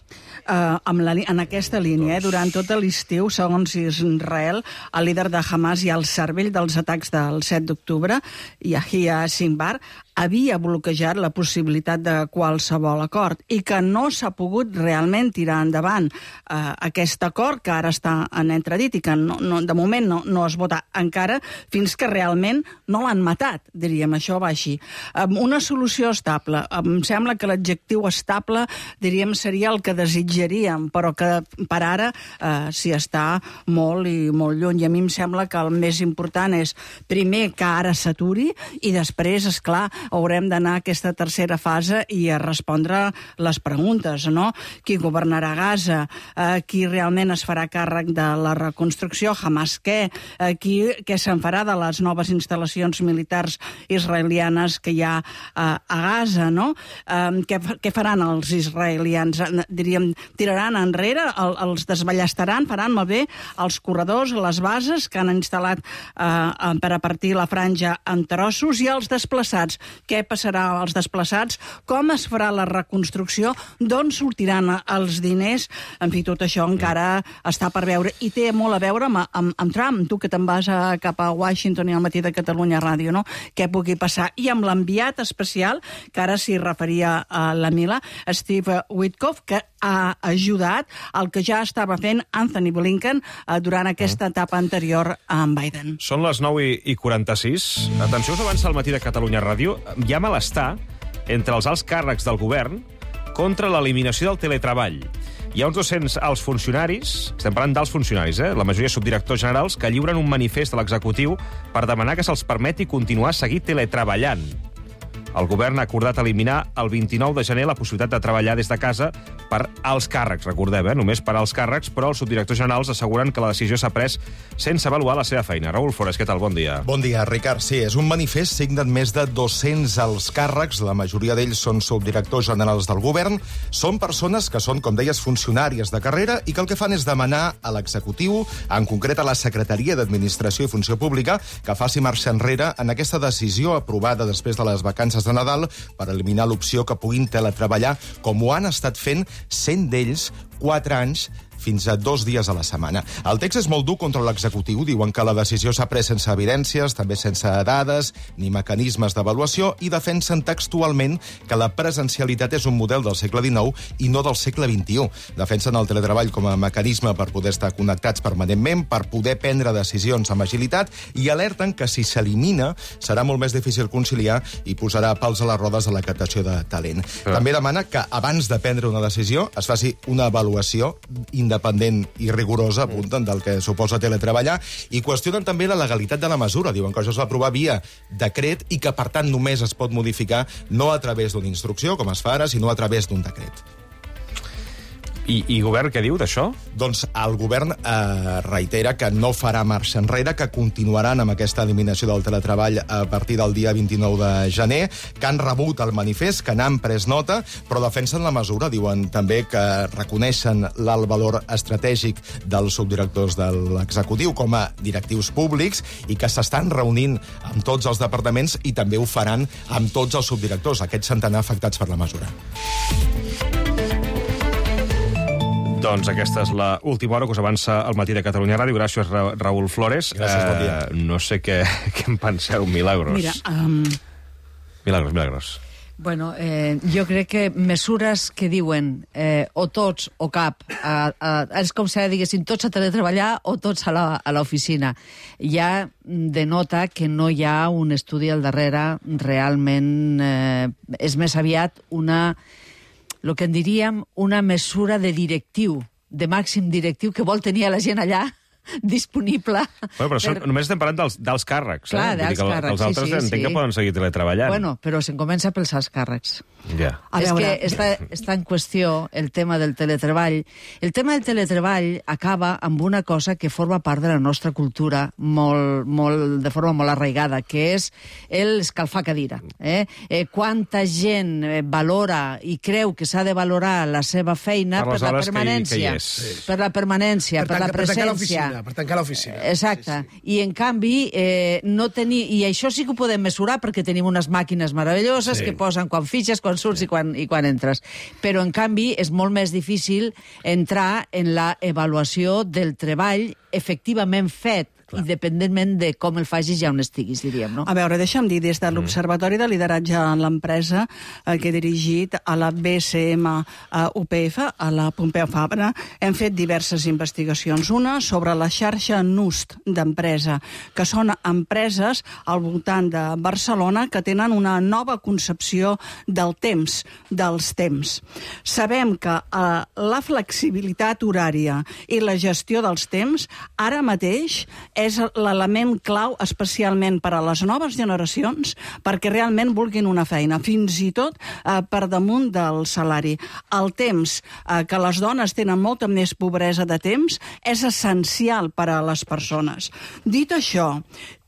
En aquesta línia, durant tot l'estiu, segons Israel, el líder de Hamas i el cervell dels atacs del 7 d'octubre, Yahya Sinwar, havia bloquejat la possibilitat de qualsevol acord i que no s'ha pogut realment tirar endavant aquest acord que ara està en entredit i que de moment no es vota encara fins que realment no l'han matat, diríem, això va així. Una solució estable. Em sembla que l'adjectiu estable, diríem, seria el que desitjaríem, però que per ara s'hi està molt i molt lluny. I a mi em sembla que el més important és, primer, que ara s'aturi i després, esclar, haurem d'anar a aquesta tercera fase i a respondre les preguntes, no? Qui governarà Gaza? Qui realment es farà càrrec de la reconstrucció? Hamas què? Què se'n farà de les noves instal·lacions militars israelianes que hi ha a Gaza, no? Què faran els israelians? Diríem, tiraran enrere? Els desballestaran? Faran malbé els corredors, les bases que han instal·lat per a partir la franja en trossos i els desplaçats? Què passarà als desplaçats? Com es farà la reconstrucció? D'on sortiran els diners? En fi, tot això encara està per veure. I té molt a veure amb Trump, tu que te'n vas cap a Washington i al matí de Catalunya Ràdio, no? Què pugui passar? I amb l'enviat especial, que ara s'hi referia a la Mila, Steve Witkoff, que ha ajudat el que ja estava fent Anthony Blinken durant aquesta etapa anterior a en Biden. Són les 9:46. Atenció, us avança al matí de Catalunya Ràdio. Hi ha malestar entre els alts càrrecs del govern contra l'eliminació del teletreball. Hi ha uns 200 alts funcionaris, estem parlant d'alts funcionaris, la majoria subdirectors generals, que lliuren un manifest a l'executiu per demanar que se'ls permeti continuar a seguir teletreballant. El govern ha acordat eliminar el 29 de gener la possibilitat de treballar des de casa per als càrrecs, recordem, només per als càrrecs, però els subdirectors generals asseguren que la decisió s'ha pres sense avaluar la seva feina. Raül Flores, què tal? Bon dia. Bon dia, Ricard. Sí, és un manifest signat més de 200 alts càrrecs, la majoria d'ells són subdirectors generals del govern, són persones que són, com deies, funcionàries de carrera i que el que fan és demanar a l'executiu, en concret a la Secretaria d'Administració i Funció Pública, que faci marxa enrere en aquesta decisió aprovada després de les vacances de Nadal per eliminar l'opció que puguin teletreballar, com ho han estat fent 100 d'ells 4 anys fins a 2 dies a la setmana. El text és molt dur contra l'executiu. Diuen que la decisió s'ha pres sense evidències, també sense dades ni mecanismes d'avaluació, i defensen textualment que la presencialitat és un model del segle XIX i no del segle XXI. Defensen el teletreball com a mecanisme per poder estar connectats permanentment, per poder prendre decisions amb agilitat, i alerten que si s'elimina serà molt més difícil conciliar i posarà pals a les rodes a la captació de talent. També demana que abans de prendre una decisió es faci una avaluació independent i rigorosa, apunten, del que suposa teletreballar, i qüestionen també la legalitat de la mesura. Diuen que això es va aprovar via decret i que, per tant, només es pot modificar no a través d'una instrucció, com es fa ara, sinó a través d'un decret. I govern què diu d'això? Doncs el govern reitera que no farà marxa enrere, que continuaran amb aquesta eliminació del teletreball a partir del dia 29 de gener, que han rebut el manifest, que n'han pres nota, però defensen la mesura. Diuen també que reconeixen l'alt valor estratègic dels subdirectors de l'executiu com a directius públics i que s'estan reunint amb tots els departaments i també ho faran amb tots els subdirectors, aquests centenars afectats per la mesura. Doncs aquesta és l'última hora que us avança al Matí de Catalunya Ràdio. Gràcies, Raül Flores. Gràcies, bon dia. No sé què en penseu, Milagros. Mira, Milagros. Bueno, jo crec que mesures que diuen o tots o cap, és com si diguessin tots a teletreballar o tots a l'oficina. Ja denota que no hi ha un estudi al darrere realment, és més aviat el que en diríem una mesura de directiu, de màxim directiu que vol tenir la gent allà disponible. Però només estem parlant dels càrrecs. Clar, dels càrrecs, els altres entenc que poden seguir teletreballant. Bueno, però se'n comença pels alts càrrecs. Ja. És que està en qüestió el tema del teletreball. El tema del teletreball acaba amb una cosa que forma part de la nostra cultura de forma molt arraigada, que és l'escalfar cadira. Quanta gent valora i creu que s'ha de valorar la seva feina per la permanència, per la permanència, per la presència. Per tancar l'oficina. Exacte. I, en canvi, i això sí que ho podem mesurar perquè tenim unes màquines meravelloses que posen quan fitxes, quan surts i quan entres. Però, en canvi, és molt més difícil entrar en la avaluació del treball efectivament fet, independentment de com el facis ja on estiguis, diríem, no? A veure, deixa'm dir, des de l'Observatori de Lideratge en l'Empresa, que he dirigit a la BCM UPF, a la Pompeu Fabra, hem fet diverses investigacions. Una sobre la xarxa NUST d'empresa, que són empreses al voltant de Barcelona que tenen una nova concepció del temps, dels temps. Sabem que la flexibilitat horària i la gestió dels temps ara mateix és l'element clau especialment per a les noves generacions perquè realment vulguin una feina, fins i tot per damunt del salari. El temps, que les dones tenen molta més pobresa de temps, és essencial per a les persones. Dit això,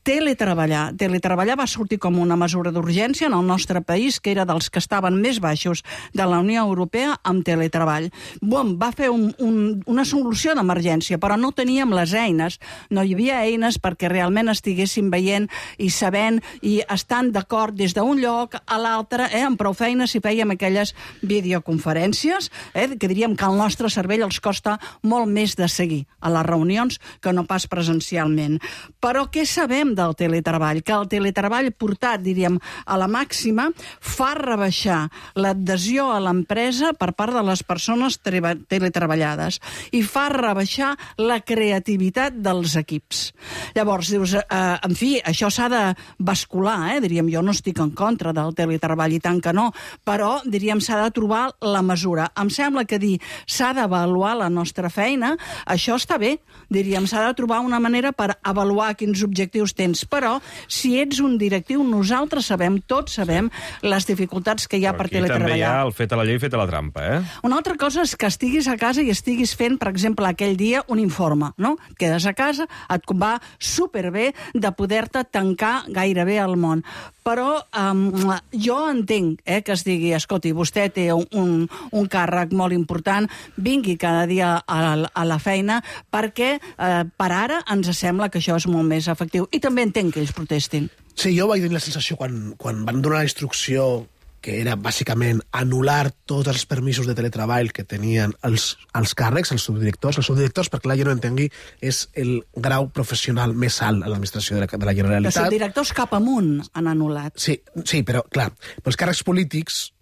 Teletreballar va sortir com una mesura d'urgència en el nostre país, que era dels que estaven més baixos de la Unió Europea amb teletreball. Va fer una solució d'emergència, però no teníem les eines. No hi havia eines perquè realment estiguéssim veient i sabent i estant d'acord des d'un lloc a l'altre, amb prou feines si fèiem aquelles videoconferències, que diríem que al nostre cervell els costa molt més de seguir a les reunions que no pas presencialment. Però què sabem del teletreball? Que el teletreball portat, diríem, a la màxima, fa rebaixar l'adhesió a l'empresa per part de les persones teletreballades i fa rebaixar la creativitat dels equips. Llavors, dius, en fi, això s'ha de bascular, diríem, jo no estic en contra del teletreball, i tant que no, però, diríem, s'ha de trobar la mesura. Em sembla que dir s'ha d'avaluar la nostra feina, això està bé, diríem, s'ha de trobar una manera per avaluar quins objectius tens, però si ets un directiu, nosaltres sabem, tots sabem, les dificultats que hi ha per teletreballar. Aquí també hi ha el fet a la llei, fet a la trampa, Una altra cosa és que estiguis a casa i estiguis fent, per exemple, aquell dia un informe, no? Et quedes a casa, et va superbé de poder-te tancar gairebé al món. Però jo entenc que es digui, escolti, vostè té un càrrec molt important, vingui cada dia a la feina, perquè per ara ens sembla que això és molt més efectiu. I també entenc que ells protestin. Sí, jo vaig tenir la sensació quan van donar la instrucció que era bàsicament anul·lar tots els permisos de teletreball que tenien els càrrecs, els subdirectors. Els subdirectors, perquè la gent no entengui, és el grau professional més alt a l'administració de la Generalitat. Els subdirectors cap amunt han anul·lat. Sí, però, clar, els càrrecs polítics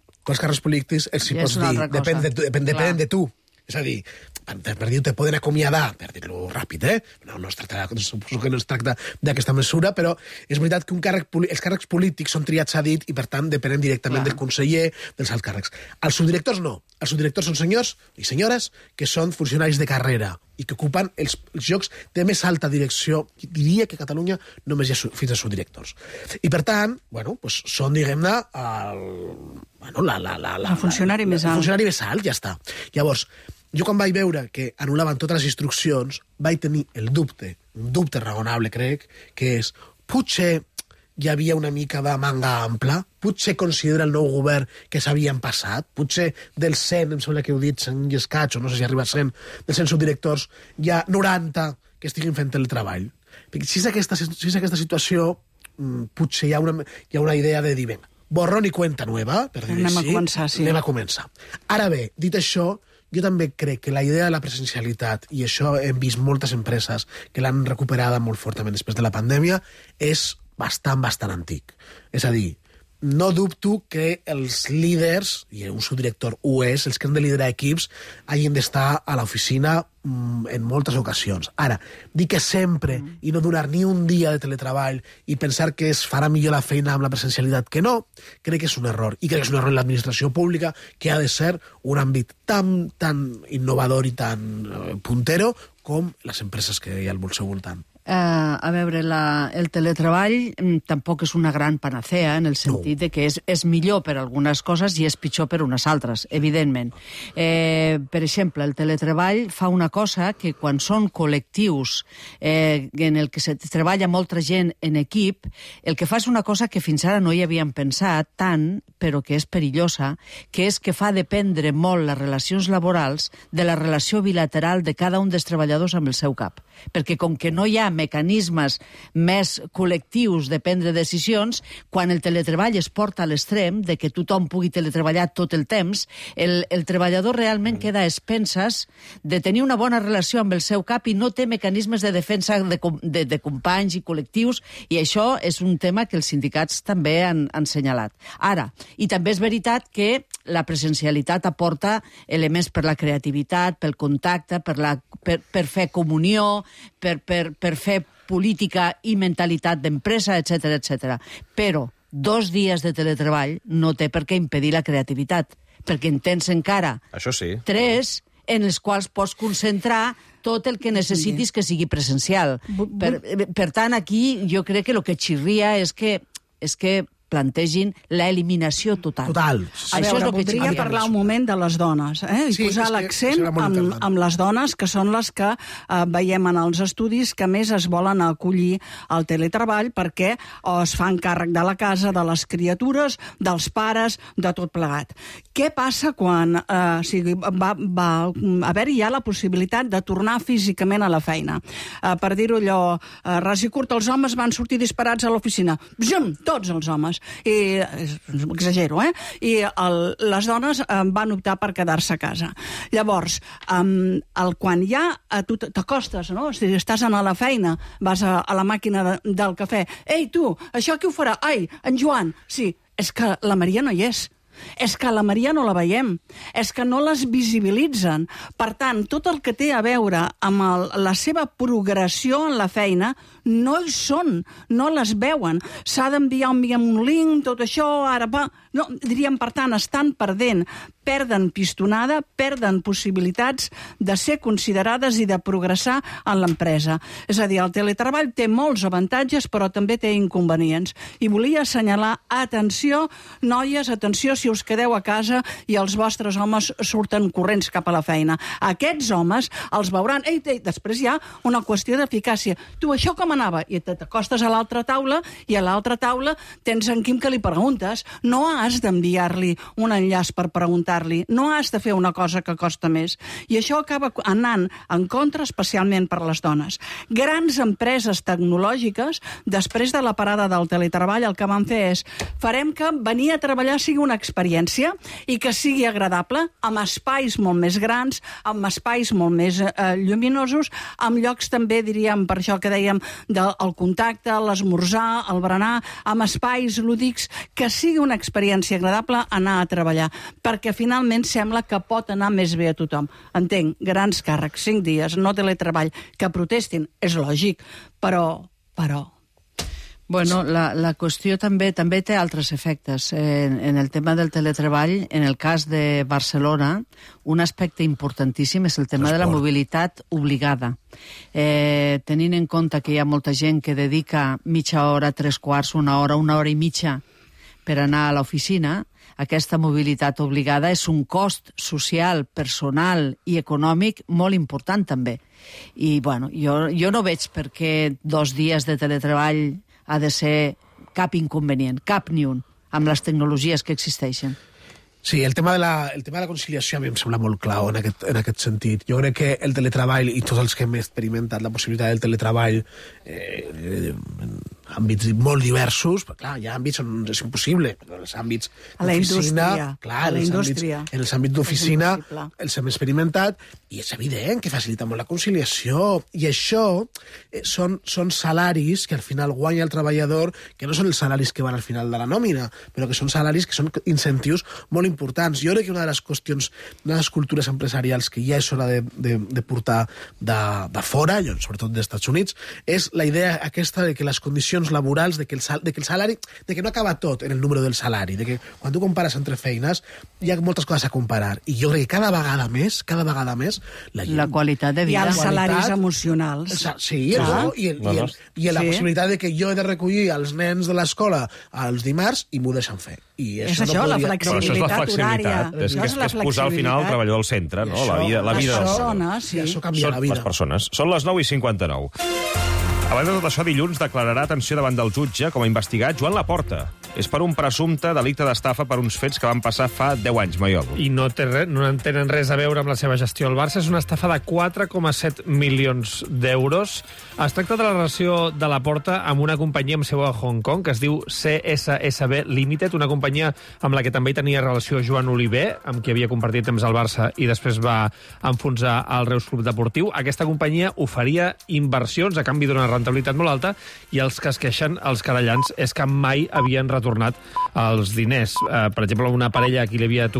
els hi pots dir, depèn de tu. És a dir, per dir-ho, te poden acomiadar, per dir-lo ràpid, suposo que no es tracta d'aquesta mesura, però és veritat que els càrrecs polítics són triats a dit i, per tant, depenen directament del conseller, dels alts càrrecs. Els subdirectors no. Els subdirectors són senyors i senyores que són funcionaris de carrera i que ocupen els llocs de més alta direcció. Diria que a Catalunya només hi ha fins a subdirectors. I, per tant, són, diguem-ne, el funcionari més alt. El funcionari més alt, ja està. Llavors, Jo quan vaig veure que anul·laven totes les instruccions, vaig tenir el dubte, un dubte raonable, crec, que és, potser hi havia una mica de manga ampla, potser considera el nou govern que s'havien passat, potser dels 100, em sembla que heu dit, 100 i escaig, o no sé si arriba a 100, dels 100 subdirectors, hi ha 90 que estiguin fent el treball. Si és aquesta situació, potser hi ha una idea de dir, vinga, borrón i cuenta nueva, per dir Anem a així. començar, sí. Anem a començar. Ara bé, dit això, jo també crec que la idea de la presencialitat, i això hem vist moltes empreses que l'han recuperada molt fortament després de la pandèmia, és bastant antic. És a dir, no dubto que els líders, i un subdirector ho és, els que han de liderar equips, hagin d'estar a l'oficina en moltes ocasions. Ara, dir que sempre i no donar ni un dia de teletreball i pensar que es farà millor la feina amb la presencialitat que no, crec que és un error. I crec que és un error en l'administració pública, que ha de ser un àmbit tan innovador i tan puntero com les empreses que hi ha al seu voltant. A veure, el teletreball tampoc és una gran panacea en el sentit de que és millor per algunes coses i és pitjor per unes altres, evidentment. Per exemple, el teletreball fa una cosa que quan són col·lectius en el que se treballa molta gent en equip, el que fa és una cosa que fins ara no hi havíem pensat tant, però que és perillosa, que és que fa dependre molt les relacions laborals de la relació bilateral de cada un dels treballadors amb el seu cap. Perquè com que no hi ha mecanismes més col·lectius de prendre decisions, quan el teletreball es porta a l'extrem de que tothom pugui teletreballar tot el temps, el treballador realment queda a expenses de tenir una bona relació amb el seu cap i no té mecanismes de defensa de companys i col·lectius, i això és un tema que els sindicats també han assenyalat. Ara, i també és veritat que la presencialitat aporta elements per la creativitat, pel contacte, per fer comunió, per fer política i mentalitat d'empresa, etc. Però 2 dies de teletreball no té per què impedir la creativitat, perquè en tens encara 3 en els quals pots concentrar tot el que necessitis que sigui presencial. Per tant, aquí jo crec que el que xirria és que plantegin l'eliminació total. Total. A veure, voldria parlar un moment de les dones, i posar l'accent amb les dones, que són les que veiem en els estudis que més es volen acollir al teletreball perquè es fan càrrec de la casa, de les criatures, dels pares, de tot plegat. Què passa quan va haver-hi ja la possibilitat de tornar físicament a la feina? Per dir-ho allò, ras i curt, els homes van sortir disparats a l'oficina. Tots els homes. I exagero, i les dones van optar per quedar-se a casa. Llavors, quan ja tu t'acostes, no? Si estàs a la feina, vas a la màquina del cafè, ei, tu, això qui ho farà? Ai, en Joan. Sí, és que la Maria no hi és. És que la Maria no la veiem, és que no les visibilitzen. Per tant, tot el que té a veure amb la seva progressió en la feina no hi són, no les veuen. S'ha d'enviar un link, tot això, ara va... No, diríem, per tant, estan perdent, perden pistonada, perden possibilitats de ser considerades i de progressar en l'empresa. És a dir, el teletreball té molts avantatges, però també té inconvenients. I volia assenyalar, atenció, noies, atenció, si us quedeu a casa i els vostres homes surten corrents cap a la feina. Aquests homes els veuran... Després hi ha una qüestió d'eficàcia. Tu, això com anava? I t'acostes a l'altra taula i a l'altra taula tens en Quim que li preguntes. No has d'enviar-li un enllaç per preguntar-li. No has de fer una cosa que costa més. I això acaba anant en contra, especialment per les dones. Grans empreses tecnològiques, després de la parada del teletreball, el que van fer és farem que venir a treballar sigui una experiència i que sigui agradable, amb espais molt més grans, amb espais molt més lluminosos, amb llocs també, diríem, per això que dèiem, del contacte, l'esmorzar, el berenar, amb espais lúdics, que sigui una experiència agradable anar a treballar, perquè finalment sembla que pot anar més bé a tothom. Entenc, grans càrrecs, 5 dies, no teletreball, que protestin, és lògic, però... Bueno, la qüestió també té altres efectes. En el tema del teletreball, en el cas de Barcelona, un aspecte importantíssim és el tema de la mobilitat obligada. Tenint en compte que hi ha molta gent que dedica mitja hora, 3 quarts, una hora i mitja per anar a l'oficina, aquesta mobilitat obligada és un cost social, personal i econòmic molt important també. I bueno, jo no veig per què 2 dies de teletreball ha de ser cap inconvenient, cap ni un, amb les tecnologies que existeixen. Sí, el tema de la conciliació a mi em sembla molt clau en aquest sentit. Jo crec que el teletreball, i tots els que hem experimentat la possibilitat del teletreball en àmbits molt diversos, però clar, hi ha àmbits on és impossible, però els àmbits d'oficina... Clar, en els àmbits d'oficina els hem experimentat i és evident que facilita molt la conciliació. I això són salaris que al final guanya el treballador, que no són els salaris que van al final de la nòmina, però que són salaris que són incentius molt importants. Jo crec que una de les qüestions, una de les cultures empresarials que ja és hora de portar de fora, sobretot dels Estats Units, és la idea aquesta de que les condicions laborals, de que el salari, de que no acaba tot en el número del salari, de que quan tu compares entre feines hi ha moltes coses a comparar. I jo crec que cada vegada més, la qualitat de vida. I els salaris emocionals. Sí, i la possibilitat de que jo he de recollir els nens de l'escola els dimarts i m'ho deixen fer. I és això, la flexibilitat horària. És posar al final el treballador al centre, no? La vida de persones, sí. Això canvia la vida. Les persones. Són les 9:59. Abans de tot això, dilluns declararà atenció davant del jutge com a investigat Joan Laporta. És per un presumpte delicte d'estafa per uns fets que van passar fa 10 anys, Maiol. I no tenen res a veure amb la seva gestió. El Barça és una estafa de 4,7 milions d'euros. Es tracta de la relació de Laporta amb una companyia amb seu a Hong Kong, que es diu CSSB Limited, una companyia amb la que també hi tenia relació Joan Oliver, amb qui havia compartit temps al Barça i després va enfonsar el Reus Club Deportiu. Aquesta companyia oferia inversions a canvi d'una rentabilitat molt alta i els que es queixen, els querellants, és que mai havien retornat els diners. Per exemple, una parella a qui li havia tocat